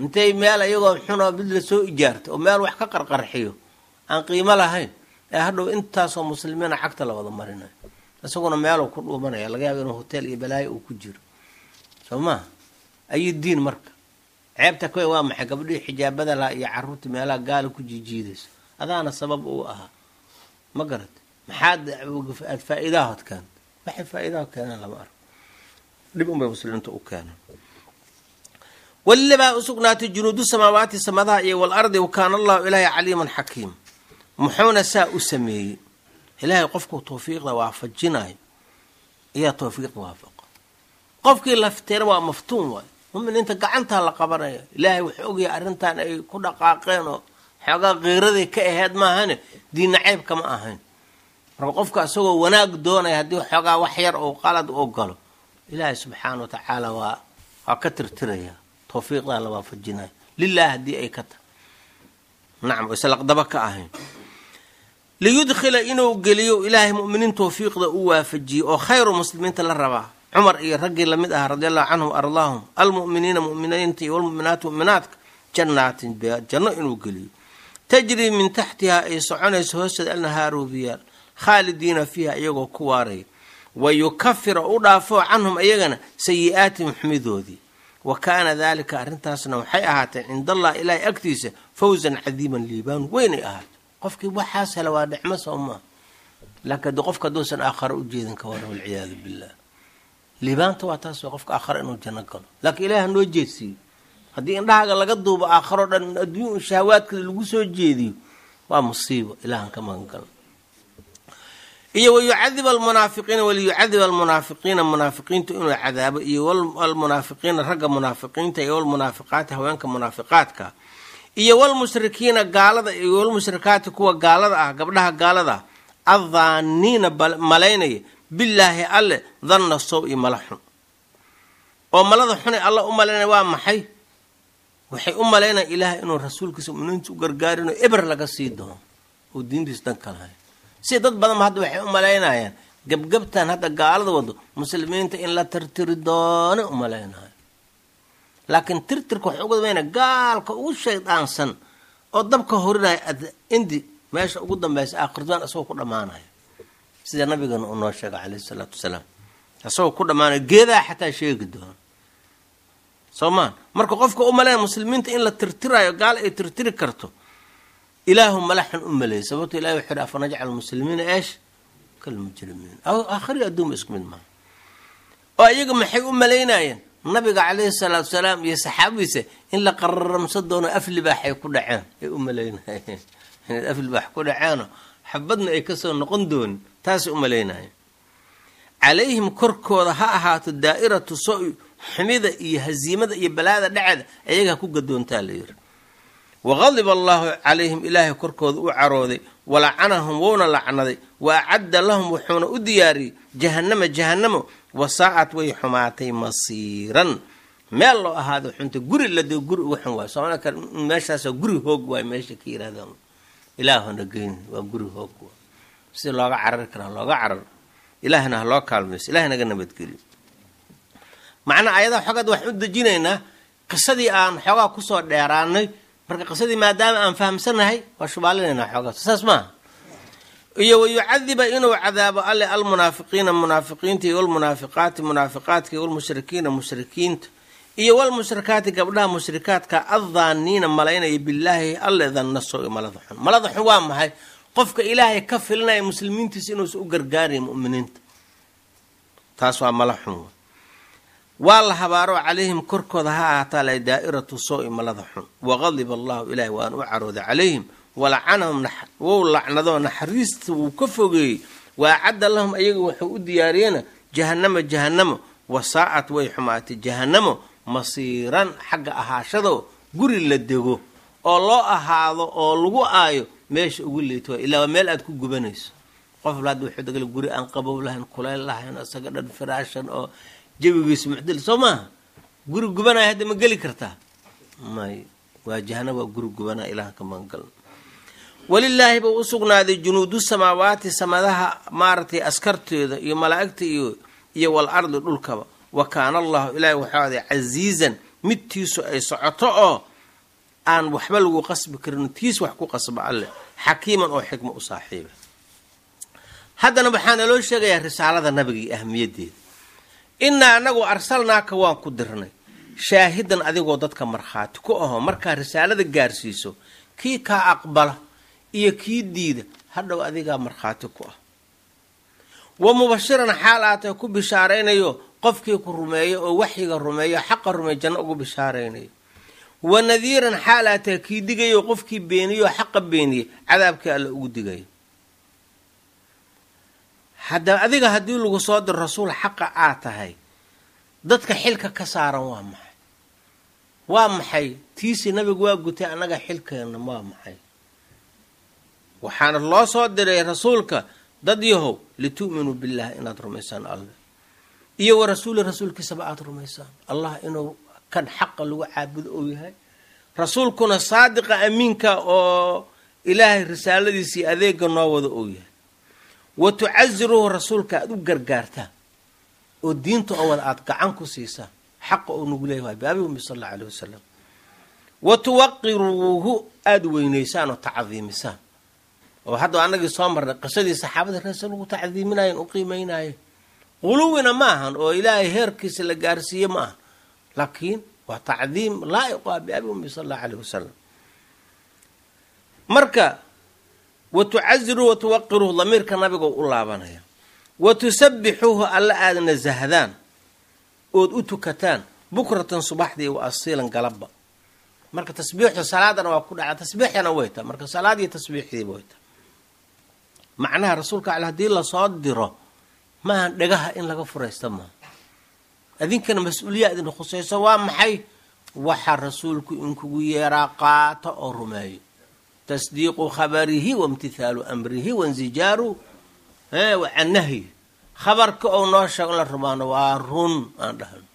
intay meel iyagoo xunoo mid la soo ijaarta oo meel wax ka qarqarxiyo aan qiimo lahayn, ee hadhow intaasoo muslimiina cagta la wada marinayo, isaguna meeluu ku dhuumanaya, laga yaaba inuu hotel iyo balaayo uu ku jiro, soo maha? Ayu diin marka ceebta kuwe waa maxay? Gabdhihii xijaabada lahaa iyo caruurta meelaha gaala ku jiijiidayso, adaana sabab uu ahaa, ma garatay? Maxaad aad faa-iidahood keenta? Waxay faa-iidaha keenaan lama arko, dhib unbay muslimiinta u keenaan. Walila baa usugnaatay junuudu samaawaati, samadaha iyo walardi. Wakaana Allahu, ilaahay, caliiman xakiim. Muxuuna saa u sameeyey Ilaahay? Qofkuu tawfiiqda waafajinayo ayaa tawfiiqda waafaqa, qofkii lafteena waa maftuun waay. Muminiinta gacantaa la qabanaya. Ilaahay wuxuu ogyahay arrintan ay ku dhaqaaqeen oo xoogaa kiiraday ka aheyd maahane, diinna ceybka ma ahayn. Marka qofka isagoo wanaag doonaya haddii xoogaa wax yar oo qalad u galo, Ilaahay subxaana wa tacaala waa ka tirtiraya, tawfiiqdaa la waafajinayo lilah haddii ay ka tahay, nacam, islaqdaba ka ahayn. Liyudkhila, inuu geliyo Ilaahay muminiin tawfiiqda u waafajiyey oo khayru muslimiinta la rabaa, Cumar iyo raggii lamid ahaa radi allahu canhum ardaahum, almu'miniina, mu'miniinta iyo walmu'minaati, mu'minaadka, jannaatin, janno inuu geliyo, tajrii min taxtihaa, ay soconayso hoosteeda, alnahaaru, biyaal, khaalidiina fiiha, iyagoo ku waaraya, wa yukafira, u dhaafo, canhum, iyagana, sayi-aatihim, xumidoodii. Wa kaana daalika, arrintaasna waxay ahaatay, cinda Allah, ilaahay agtiisa, fawsan cadiiman, liibaan weynay ahaatay. Qofkii waxaas hela waa nicmo, soo maa? Laakiin haddi qofka hadduusan aakharo u jeedin, ka waran? Walciyaadu billah. Liibaanta waa taas, qofka aakharo inuu janno galo, laakiin Ilaah noo jeedsiiyo. Haddii indhahaaga laga duubo aakharo dhan, adduun shahawaadka lagu soo jeediyo, waa musiibo, Ilaahan ka magan galo. Iyo wayucadib almunaafiqiina, waliyucadib almunaafiqiina, munaafiqiintu inuu cadaabo, iyo almunaafiqiina, ragga munaafiqiinta, iyo walmunaafiqaati, haweenka munaafiqaadka, iyo walmushrikiina, gaalada, iyo walmushrikaati, kuwa gaalada ah, gabdhaha gaalada ah, addaaniina, malaynaya, billaahi, alle, danna sow iyo mala xun. Oo malada xunay alla u malaynaya waa maxay? Waxay u malaynaya Ilaah inuu rasuulkiisa, muminiinta u gargaarino, eber laga sii doono oo diintiisa dan kalahay. Si dad badan ba hadda waxay u malaynayaan gebgebtan hadda gaalada wado muslimiinta in la tirtiri doono u malaynayo, laakiin tirtirka waxay uga dambeynaya gaalka ugu shaydaansan oo dabka horinaya indi meesha ugu dambaysa aakhirduaan isagoo ku dhammaanaya, sida nabigana uu noo sheegay caleyhi salaatu wasalaam, isagoo ku dhammaanaya geedaha xataa sheegi doono, soo maa? Marka qofka u maleynaya muslimiinta in la tirtirayo, gaal ay tirtiri karto, Ilaahu mala xun u maleeyay. Sababto Ilahi wuxu uhi: afanajcal muslimiina eesh kalmujrimiin? Aakhiri adduunba isku mid maaha. Oo iyaga maxay u malaynayeen? Nabiga caleyhi salaatu salaam iyo saxaabadiisa in la qararamsan doono, aflibaaxay ku dhaceen ay u malaynayeen, inay aflibaax ku dhaceenoo xabadna ay kasoo noqon doonin, taasay u malaynayeen. Calayhim, korkooda ha ahaato, daa'iratu so Xumida iyo haziimada iyo balaada dhaceeda ayaga ha ku gadoontaa la yiri. Waqadiba allaahu calayhim, ilaahay korkooda u carooday, walacanahum wuuna lacnaday, wa acadda lahum wuxuuna u diyaariyey jahannama jahannamo, wasaacad way xumaatay masiiran, meel loo ahaado xunta, guri ladego guri uga xun waay. Soomaalida kale meeshaas guri hoog waay, meesha ka yirahdaan ilaahuna geyn waa guri hoog waay. Si looga carari karaa looga carar, ilaahna ha loo kaalmayso, ilaah naga nabadgeliyo. Macnaa ayadaha xoogaad waxaan u dejinaynaa qisadii aan xoogaa kusoo dheeraanay. Marka qisadii maadaama aan fahamsanahay waa shubaalinaynaa xoogaa, saas maaha. Iyo wayucadiba inuu cadaabo alle almunaafiqiina munaafiqiinta, iyo walmunaafiqaati munaafiqaadka, iyo walmushrikiina mushrikiinta, iyo walmushrikaati gabdhaha mushrikaadka, addaaniina malaynaya billaahi alle danna soo malada xun. Malada xun waa maxay? Qofka ilaahay ka filinaya muslimiintiisa inuusan u gargaarayn mu'miniinta, taas waa mala xun. Waa la habaaro calayhim korkooda ha ahaataa la daa'iratu soo-i malada xun. Waqadiba allahu, ilaahay waan u carooday calayhim, walacanahum wou lacnadoo naxariista wuu ka fogeeyey, wa acadda lahum ayaga wuxuu u diyaariyena jahannama jahannamo, wasaa'at way xumaatay jahannamo masiiran, xagga ahaashado guri la dego oo loo ahaado oo lagu aayo meesha ugu liito, ilaa waa meel aad ku gubanayso. Qof hadda wuxuu degala guri aan qabow lahayn, kulayl lahayn, isaga dhan firaashan oo jawigiisa mucdil soo maaha, guri gubanaya hadda ma geli kartaa? May, waa jahanab, waa guri gubanaya, ilaah ka magangalna. Walilaahi buu u sugnaaday junuudu samaawaati, samadaha maaragtay askarteeda iyo malaa'igta iyo wal ardi dhulkaba. Wa kaana allahu, ilaahi waxuu aday casiizan, midtiisu ay socoto oo aan waxba lagu qasbi karin, tiis wax ku qasba alleh, xakiiman oo xikma u saaxiiba. Haddana waxaa naloo sheegayaa risaalada nabiga iyo ahmiyaddeeda. Innaa anagu arsalnaaka waan ku dirnay shaahidan, adigoo dadka markhaati ku aho. Markaa risaalada gaarsiiso, kii kaa aqbala iyo kii diida hadhow adigaa markhaati ku ah. Wa mubashiran, xaal aatay ku bishaaraynayo qofkii ku rumeeyo oo waxyiga rumeeyo, xaqa rumeeyo, janno ugu bishaaraynayo. Wa nadiiran, xaal aatay kii digayo qofkii beeniyo xaqa beeniyey cadaabkii alle ugu digayo. Hadda adiga haddii lagu soo diro rasuul xaqa aad tahay, dadka xilka ka saaran waa maxay? Waa maxay tiisii nabigu waa gutay, annaga xilkeena waa maxay? Waxaana loo soo diray rasuulka dad yahow litu'minuu billahi, inaad rumaysaan alle iyo wa rasuuli, rasuulkiisaba aada rumaysaan, allah inuu kan xaqa lagu caabudo uu yahay, rasuulkuna saadiqa amiinka oo ilaahay risaaladiisii adeega noo wada uu yahay. Wa tucasiruuhu, rasuulka aada u gargaartaan oo diinta oo wada aada gacan ku siisaan, xaqa uu nagu leeyahay biabi ummi sal allau aleyh wasalam. Wa tuwaqiruuhu, aada weynaysaan oo tacdiimisaan, oo hadda anagii soo marnay qisadii saxaabada reesa lagu tacdiiminayen u qiimeynaaye. Quluwina ma ahan oo ilaahay heerkiisa la gaarsiiye ma aha, laakiin waa tacdiim laa'iq ah biabi ummi sal allahu aleyh wasalam. Marka wa tucasiruu wa tuwaqiruuhu, damiirka nabiga u laabanaya. Wa tusabbixuuhu, alla aada nasahdaan ood u tukataan bukratan subaxdii wa asiilan galabba. Marka tasbiixu salaadana waa ku dhaca, tasbiixdana way taa, marka salaad iyo tasbiixdiiba way taa. Macnaha rasuulka ale haddii lasoo diro maaha dhagaha in laga furaysta maaha, adinkana mas-uuliya idin khusayso. Waa maxay waxa rasuulku inkugu yeeraa? Qaata oo rumeeyo, tasdiiqu khabarihi wa imtithaalu amrihi wainzijaaru can nahyi. Khabarka ou noo sheego in la rumaano waa run aan dhahno,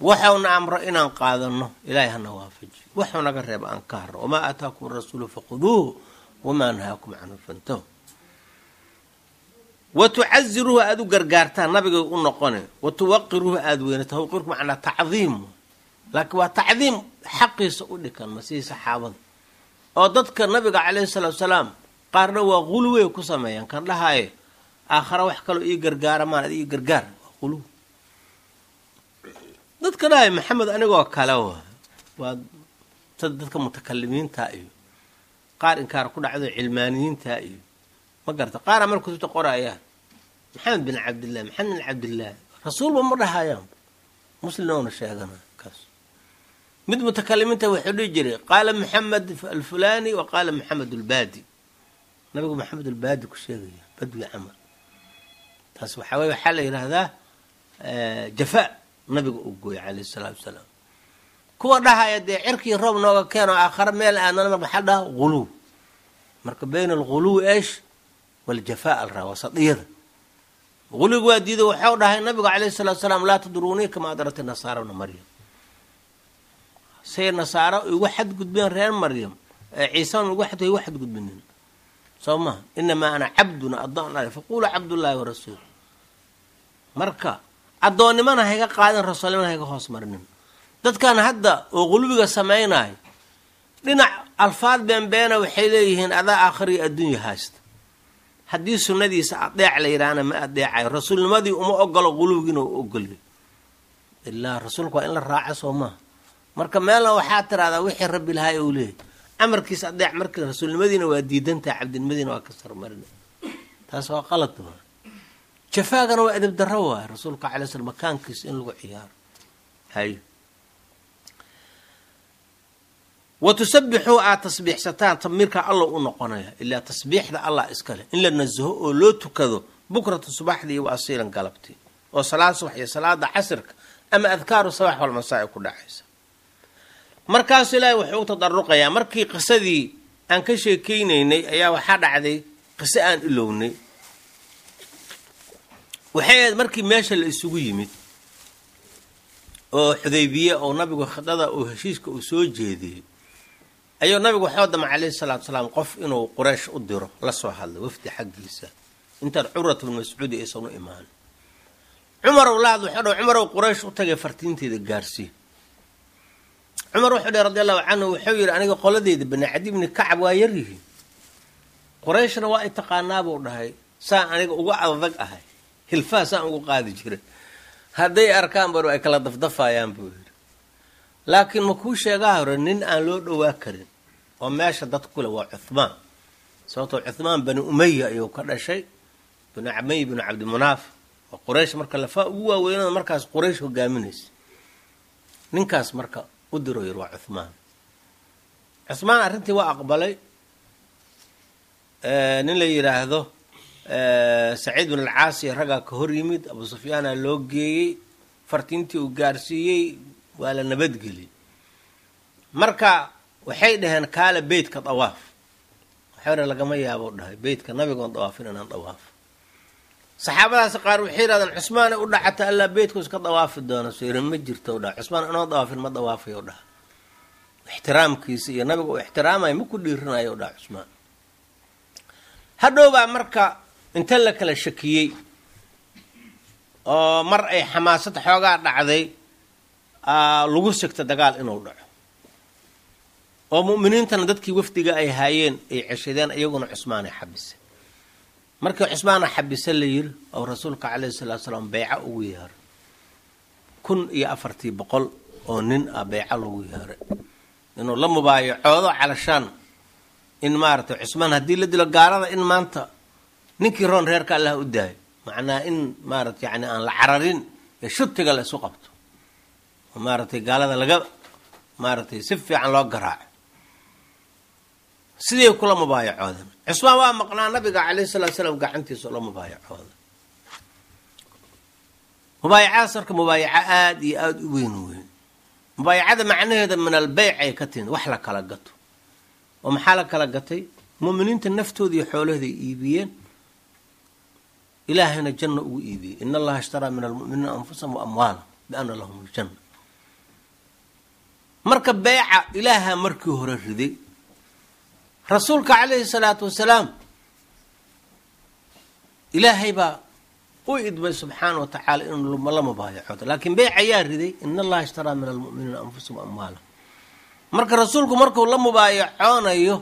waxauna amro inaan qaadano, ilaahay hana waafajiyo, waxuu naga reeba aan ka harno. Wamaa aataakum rasuulu faquduuhu wamaa nahaakum canhu fantahu. Wa tucaziruuhu, aada u gargaartaan nabiga u noqone. Wa tuwaqiruuhu, aada weyne. Tawqiirku macnaa tacdiim, laakiin waa tacdiim xaqiisa u dhikan masii saxaabada oo dadka nabiga caleyhi salaatu salaam qaarna waa quluwey ku sameeyaan, kan dhahaaye aakhara wax kaloo ii gargaara maan adi ii gargaar, waa quluw. Dadka dhahay Maxamed anigoo kale waa dadka mutakalimiinta iyo qaar inkaar ku dhacdo cilmaaniyiinta iyo ma garata, qaara marka kutubta qorayaan Maxamed bin Cabdillahi, Maxamed bin Cabdillahi rasuulba ma dhahayaan, muslimna sheegana kaas. Mid mutakalimiinta wuxuu dhihi jiray qaala Maxamed alfulani wa qaala Maxamed albaadi, nabigu Maxamed albaadi ku sheegaya badwi camal. Taas waxaa weye waxaa la yidhaahdaa jafaa Nabiga uu gooyay calayhi salaatu wasalaam. Kuwa dhahaya dee cirkii roob nooga keeno aakhare meel aadnana, maxaa dhaha? Ghuluw. Marka bayna alghuluwi esh waljafaa al raa wasadiyada guluwiga waa diiday. Waxau dhahay nabigu calayhi salatu salaam: "Laa tudruunii kama adrati nasaara bna Maryam." Say nasaaro igu xadgudbeen reer Maryam, Ciisana igu xadgudbinin, soo maha? "Inamaa ana cabduna," addoon ale, "faquluu cabdullaahi warasuul." Marka addoonnimana hayga qaadin, rasuulnimana hayga hoos marinin. Dadkan hadda oo qulubiga samaynayo, dhinac alfaad beenbeena waxay leeyihiin adaa aakhiriyo adduunya haysta. Haddii sunnadiisa adeec la yidhaahna ma adeecayo, rasuulnimadii uma ogolo, qulubigiina u ogolyo. Ilaa rasuulka waa in la raaco, soo maha? Marka meelna waxaa tiraahdaa wixii rabbi lahay uu leeyahy amarkiisa adeec, marka rasuulnimadiina waa diidantaha, cabdinimadiina waa ka sarmarina. Taas waa qalad waa. Jafaagana waa edab darro waay, rasuulka alay slam makaankiisa in lagu ciyaaro. Hay wa tusabbixuu, aad tasbiixsataan. Tamiirka alla u noqonaya, ilaa tasbiixda allah iskale in la nasaho oo loo tukado bukrata subaxdii wa asiilan galabtii, oo salaad subax iyo salaada casirka ama adkaaru sabax walmasaa ay ku dhacaysa. Markaasuu Ilaahay wuxuu u tadaruqayaa markii qisadii aan ka sheekeynaynay ayaa waxaa dhacday qiso aan ilownay. Waxay ahayd markii meesha la isugu yimid oo Xudaybiye, oo nabigu khidada uu heshiiska uu soo jeediyey, ayuu nabigu waxuu damay calayhi salaatu salaam qof inuu Quraysh u diro, la soo hadlay wafdi xaggiisa intaan Curwat bnu Mascuudi aysan u imaan. Cumarow la hadla, wuxuu dhahay: "Cumarow, Quraysh u tagay, fartiinteeda gaarsii." Cumar wuxuu dhahay radi allahu canhu, wuxuu yidhi: "Aniga qoladeyda Bani Cadi bni Kacab waa yaryihiin, Qurayshna waa i taqaanaa," buu dhahay, "saan aniga uga adag ahay, hilfaa saan ugu qaadi jiray, hadday arkaan bar ay kala dafdafayaan," buu yidhi. "Laakiin ma kuu sheegaa hore nin aan loo dhowaa karin oo meesha dad kule waa Cuthmaan, sababtoo Cuthmaan Bani Umaya ayuu ka dhashay, Bani Umaya binu Cabdimunaaf, oo Quraysh marka lafaa ugu waaweynada markaas Quraysh hogaaminaysa. Ninkaas marka u diro," yiri, "waa Cuthmaan." Cuthmaan arrintii waa aqbalay. Nin la yidhaahdo Saciid bin Alcaasi raggaa ka hor yimid, Abu Sufyaana loo geeyey, fartiintii uu gaarsiiyey, waa la nabadgeliyey. Marka waxay dhaheen: "Kaala beytka dawaaf." Waxay dhaheen: "Lagama yaabo," dhahay, "beytka nabigoon dawaafin inaan dawaafo." Saxaabadaasi qaar waxay yidhahdeen: "Cusmaanay u dhacata, allaa beytku iska dawaafi doono." Soo yiri: "Ma jirto," dhaha, "Cusmaan inoo dawaafin ma dawaafayo," dhaha. Ixtiraamkiisa iyo nabiga uu ixtiraamayo ma ku dhiirinayo, dhaha Cusmaan. Hadhowbaa marka inta la kala shakiyey oo mar ay xamaasad xoogaa dhacday, lagu sigta dagaal inuu dhaco, oo mu'miniintana dadkii wafdiga ay haayeen ay ceshadeen, iyaguna Cusmaanay xabisay. Markii Cusmaana xabise la yiri, oo rasuulka calayhi salaatu salaam beyco ugu yeeray 1400 oo nin ah, beyco lagu yeeray inuu la mubaayacoodo, calashaan in maaragtay Cusmaan haddii la dilo gaalada in maanta ninkii roon reerka Allah u daayo, macnaha in maaragtay yani aan la cararin ee shutiga la isu qabto oo maaragtay gaalada laga maaragtay si fiican loo garaaco. Siday kula mubaayacoodan. Cusmaan waa maqnaa, nabiga calayhi salatu salaam gacantiisa la mubaayacooda. Mubaayacadaas marka mubaayaco aada iyo aada u weyn weyn. Mubaayacada macnaheeda min albeyc ay ka timid, wax la kala gato. Oo maxaa la kala gatay? Mu'miniinta naftooda iyo xoolahooda ay iibiyeen, Ilaahayna janno ugu iibiyey. "In Allaha ishtaraa min almu'miniina anfusahum wa amwaalahum biana lahum aljanna." Marka beyca Ilaaha markii hore riday, rasuulka calayhi salaatu wasalaam Ilaahay baa u idmay subxaana wa tacaala inuu la mubaayacoodo, laakiin beyc ayaa riday: "In Allaha ishtaraa min almu'miniina anfusahum wa amwaalahum." Marka rasuulku markuu la mubaayacoonayo,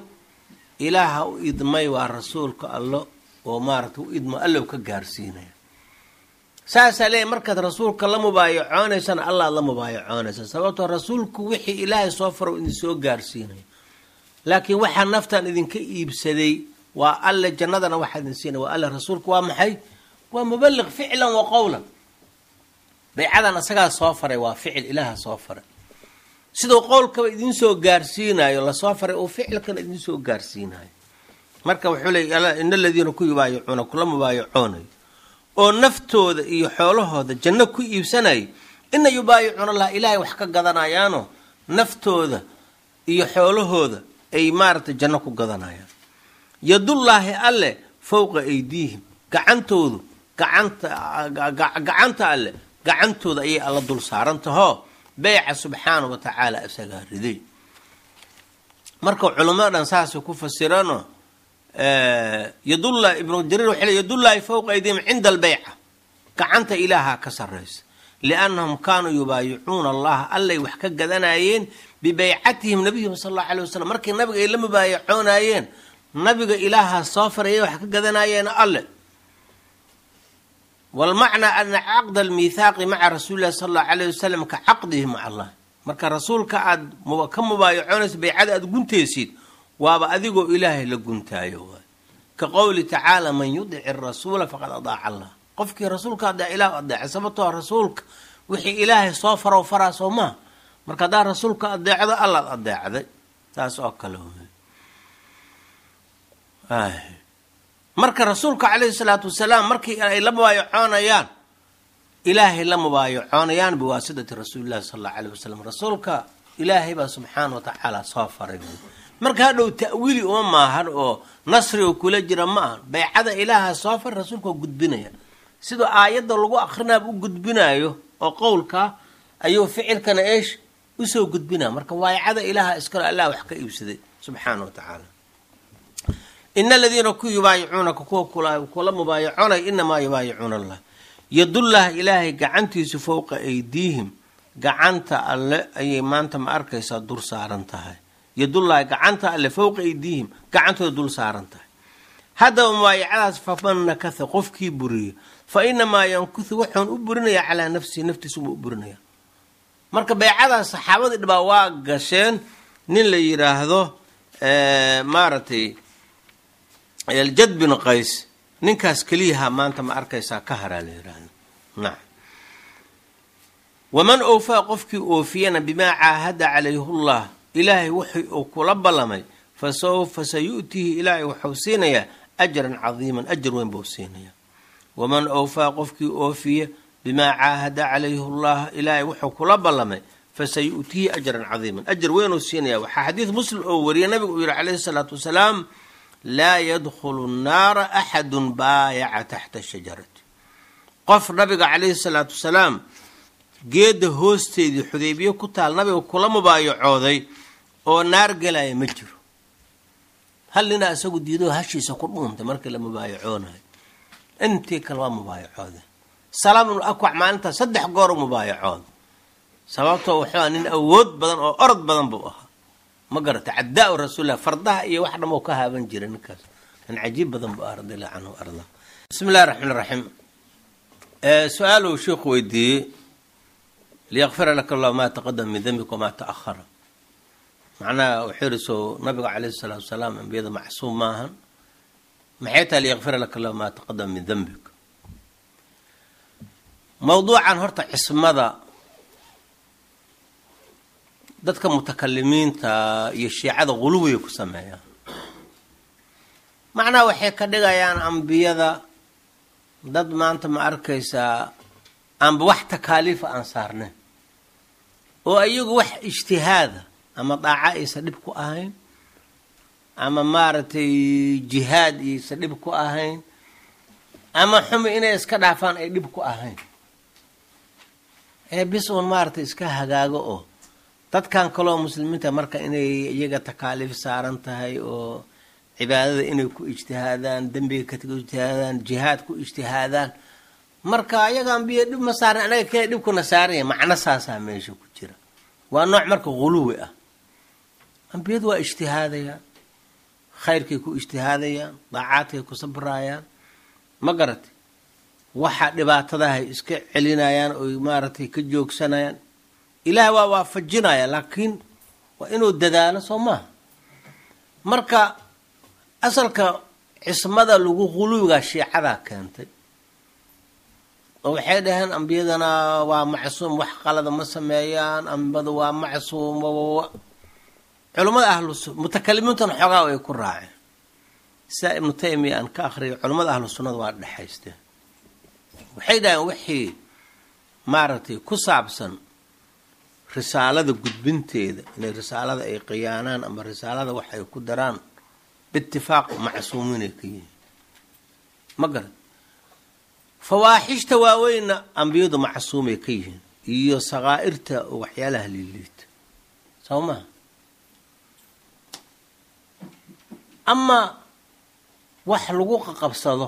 Ilaaha u idmay, waa rasuulka Allo oo maaragtay u idmo, Allow ka gaarsiinaya. Saasaa leeyahy, markaad rasuulka la mubaayacoonaysana Allaad la mubaayacoonaysa, sababtoo rasuulku wixii Ilaahay soo faro idin soo gaarsiinaya, laakiin waxaa naftan idinka iibsaday waa Alle, jannadana waxaa idin siinaya waa Alle. Rasuulku waa maxay? Waa mubaliq ficlan wa qowlan. Baycadan asagaa soo faray, waa ficil Ilaaha soo faray. Siduu qowlkaba idin soo gaarsiinayo lasoo faray, uu ficilkana idin soo gaarsiinayo. Marka wuxuu leey: "In aladiina ku yubaayicuuna," kula mubaayacoonayo oo naftooda iyo xoolahooda janno ku iibsanaya, Ina yubaayicuuna allah, ilaahay wax ka gadanayaanoo naftooda iyo xoolahooda ay maaragtay janno ku gadanayaan. Yadullaahi alle fowqa aydiihim, gacantoodu gacanta alle gacantooda ayay alla dul saaran tahoo beyca subxaana wa tacaala isagaa riday. Marka culimmada dhan saasay ku fasirano. Yadulla Ibnu Jariir waxay le yadullaahi fowqa aydiihim cinda albeyca, gacanta ilaahaa ka sarraysa, liannahum kaanuu yubaayicuuna allaha, allay wax ka gadanayeen bibeycatihim nabiyihim sala allahu alay wasalam. Markii nabiga ay la mubaayacoonayeen, nabiga ilaahaa soo farayay, wax ka gadanayeen alle. Walmacnaa ana caqda almiithaaqi maca rasuuli llahi sala allahu alayh wasalam ka caqdihi maca allah. Marka rasuulka aad ka mubaayacoonaysa, beycada aad guntaysid, waaba adigoo ilaahay la guntaayo waay. Ka qowli tacaala man yudici arasuula faqad adaaca allah. Qofkii rasuulka adeec ilah adeecay, sababtoo rasuulka wixii ilaahay soo farow faraa soo maha. Marka haddaa rasuulka adeecdo, allaad adeecday, taas oo kale wey. Marka rasuulka calayhi salaatu wasalaam markii ay la mubaayacoonayaan, ilaahay la mubaayacoonayaan biwaasidati rasuulillahi sala allahu alayh wasalam. Rasuulka ilaahay baa subxaana wa tacaala soo faray. Marka hadhow ta'wiili uma maahan oo nasriga kula jira ma ahan. Baycada ilaaha soo faray, rasuulka oo gudbinaya, siduu aayadda lagu akrinaaba u gudbinayo oo qowlka ayuu ficilkana eesh usoo gudbinaya. Marka waaycada ilaaha iskalo, allah wax ka iibsaday subxaana wa tacaala. Ina aladiina ku yubaayicuunaka, kuwa kula mubaayacoonay, inamaa yubaayicuuna allah, yadullah ilaahay gacantiisu fowqa aydiihim, gacanta alle ayay maanta ma arkaysaa dur saaran tahay. Yadullahi gacanta alle fowqa aydiihim, gacantooda dul saaran tahay. Haddaba mubaayacadaas faman nakatha, qofkii buriyo, fa inamaa yankuthu, wuxuun u burinayaa calaa nafsihi, naftiisa buu u burinaya. Marka beycadaas saxaabadii dhibaa waa gasheen. Nin la yidhaahdo maaragtay Aljad bin Qays, ninkaas keliyaha maanta ma arkaysaa ka haraa la yidhaahdo. Nacam. Waman oofaa, qofkii oofiyana, bimaa caahada calayhullah, ilaahay wuxuu uu kula ballamay, fa sawfa sayu'tihi, ilaahay wuxuu siinayaa ajran cadiiman, ajar weyn buu siinayaa. Waman oofaa, qofkii oofiya, bimaa caahada calayhullah, ilaahay wuxuu kula ballamay, fasayu'tihi ajran cadiiman, ajar weynuu siinaya. Waxaa xadiid Muslim oo wariyay nabigu uu yihi calayhi salaatu wasalaam: laa yadkhulu nnaara axadun baayaca taxta shajarati. Qof nabiga calayhi salaatu wasalaam geedda hoosteedii Xudaybiye ku taal nabiga kula mubaayacooday oo naar gelaya ma jiro. Hal ninaa isagu diidoo hashiisa ku dhuuntay markii la mubaayacoonayo, intii kale waa mubaayacoodeen. Salaam ibnu Akwac maalintaas 3 goor u mubaayacooda, sababtoo wuxuu nin awood badan oo orod badan buu ahaa, ma garata, cadaa rasuulilah, fardaha iyo wax dham ka haaban jiray. Ninkaas nin cajiib badan buu ah, radi allahu canhu arda. Bismi illahi raxmaan raxiim. Su-aal uu sheikhu weydiiyey: liyakfira laka allahu maa taqadama min dembika wamaa ta'ahara. Macnaha wuxuu yihi, soo nabiga calayhi salaatu wasalaam ambiyada macsuum maahan, maxay tahay liyakfira laka allahu maa taqadama min dembik? Mawduucan horta cismada dadka mutakalimiinta iyo shiicada guluwigay ku sameeyaan. Macnaha waxay ka dhigayaan ambiyada dad maanta ma arkaysaa aanba wax takaaliifa aan saarnayn, oo iyagu wax ijtihaada ama daaca aysa dhib ku ahayn, ama maaragtay jihaad iyaysa dhib ku ahayn, ama xumi inay iska dhaafaan ay dhib ku ahayn, ee bis uun maaragtay iska hagaago, oo dadkan kaloo muslimiinta marka inay iyaga takaaliif saaran tahay, oo cibaadada inay ku ijtihaadaan, dembiga ka ijtihaadaan, jihaad ku ijtihaadaan. Marka ayaga ambiya dhib ma saaran, anaga kee dhibkuna saaranya? Macno saasaa meesha ku jira, waa nooc marka guluwi ah. Ambiyadu waa ijtihaadayaan, khayrkay ku ijtihaadayaan, daacaadkay ku sabraayaan, ma garatay, waxa dhibaatadahay iska celinayaan oy maaragtay ka joogsanayaan. Ilaah waa waafajinaya, laakiin waa inuu dadaalo, soo maaha? Marka asalka cismada lagu guluwigaa shiicadaa keentay, oo waxay dhaheen ambiyadana waa macsuum, wax qalada ma sameeyaan, ambiyadu waa macsuum. Culummada ahlu mutakalimiintuna xoogaa ay ku raaceen, sidaa Ibnu Taymiya aan ka akhriyay. Culummada ahlu sunnada waa dhexaysteen, waxay dhaheen wixii Maaragtay, ku saabsan risaalada gudbinteeda, inay risaalada ay khiyaanaan ama risaalada wax ay ku daraan, biitifaaq macsuumiinay ka yihiin, ma garan. Fawaaxishta waaweynna ambiyadu macsuumay ka yihiin iyo sakaa'irta oo waxyaalaha liiliita, soo maha? Amaa wax lagu qaqabsado,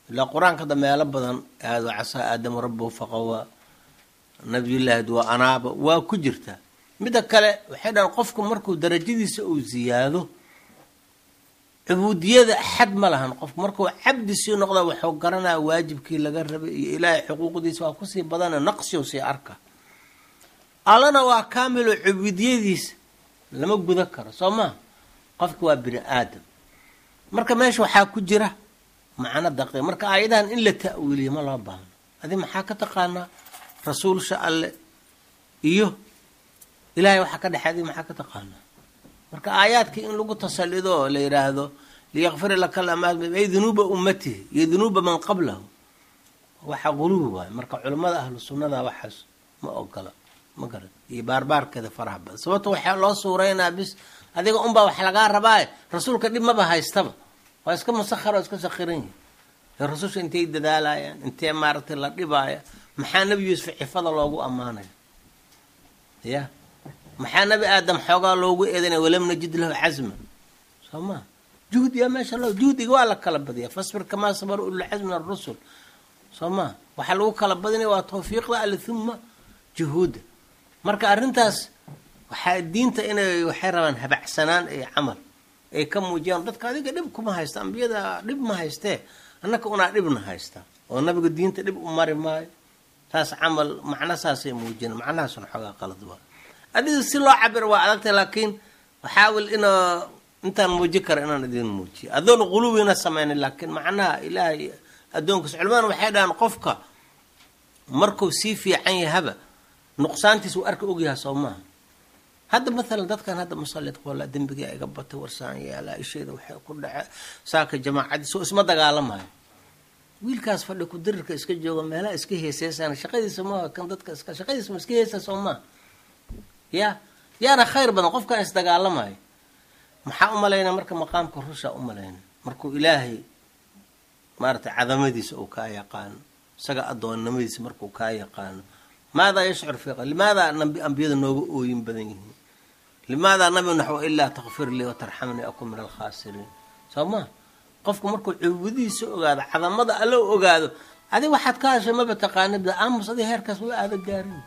ilaa qur-aanka hadda meelo badan aado, casaa aadamu rabbuhu faqawaa, nabiyullaahi waa anaaba, waa ku jirtaa. Midda kale waxay dhahaan, qofku markuu darajadiisa uu ziyaado, cubuudiyada xad ma lahan. Qofku markuu cabdi sii noqda, wuxuu garanaya waajibkii laga rabay iyo Ilaahay xuquuqdiisa waa kusii badana, naqsiu sii arka. Allana waa kaamilo, cubuudiyadiisa lama guda karo, soo maa? Qofki waa bini aadam. Marka meesha waxaa ku jira macno daqiiq. Marka aayadahan in la ta'wiiliyo ma loo baahno. Adi maxaa ka taqaanaa rasuulsha Alle iyo Ilahay waxaa ka dhexey? Adi maxaa ka taqaanaa? Marka aayaadkii in lagu tasalido oo la yidhaahdo liyakfira laka ay dunuuba ummatihi iyo dunuuba man qablahu, waxa quluwi waayo. Marka culimmada ahlu sunnada waxaas ma ogola, ma garan, iyo baarbaarkeeda faraha badan. Sababto waxaa loo suuraynaa bis adiga unbaa wax lagaa rabaaye, rasuulka dhib maba haystaba, waa iska musakhar oo iska sakhiran yihi. Rasusha intay dadaalayaan, intee maaragtay la dhibaaya? Maxaa Nebi Yuusuf cifada loogu ammaanaya? Ya maxaa Nebi Aadam xoogaa loogu eedanaya? Walam najid lahu casman, soo maa? Juhdiga meesha loo juhdiga waa la kala badiya. Fasbir kamaa sabara ululcasmi min arusul, soo maa? Waxaa lagu kala badinaya waa tawfiiqda Alle uma juhuudda. Marka arrintaas waxaa diinta inay waxay rabaan habacsanaan iyo camal ay ka muujiyaan dadka. Adiga dhib kuma haysta, ambiyada dhib ma haystee, annaka unaa dhibna haysta oo nabiga diinta dhib u mari maayo. Taas camal macno saasay muujina, macnahaasuna xoogaa qalad waa. Adiga si loo cabiro waa adagtay, laakiin waxaawil inaa intaan muujin kara inaan idin muujiyo adoon quluwina samaynin, laakiin macnaha Ilaahay addoonkiis. Culimadana waxay dhahaan, qofka markuu sii fiican yahaba nuqsaantiis uu arka ogyaha, soo maaha? Hadda maalan dadkan hadda musalidka, walla dembigaa iga batay, warsaan yeelaa, isheeda waxay ku dhace saaka jamaacadiis oo isma dagaalamayo. Wiilkaas fadhi ku dirirka iska jooga, meelaha iska heeseysaan, shaqadiisa maaha kan dadka iska shaqadiisa ma iska heesa, soo maaha? Ya yaana khayr badan qofkan isdagaalamayo. Maxaa u malaynaa marka maqaamka rusha u malayna markuu Ilaahay maaragtay cadamadiisa uu kaa yaqaano, isaga addoonnimadiisa markuu kaa yaqaano? Maadaa yashcur fi limaadaa ambiyada nooga ooyin badan yihiin? Limaadaa nabi naxw ilaa takfir lii watarxamnii akun min alkhaasiriin, soo maa? Qofku markuu cubudihiisa ogaado, cadamada Alla ogaado, adi waxaad ka hashay maba taqaanid. Aamus, adi heerkaas waa aada gaarin.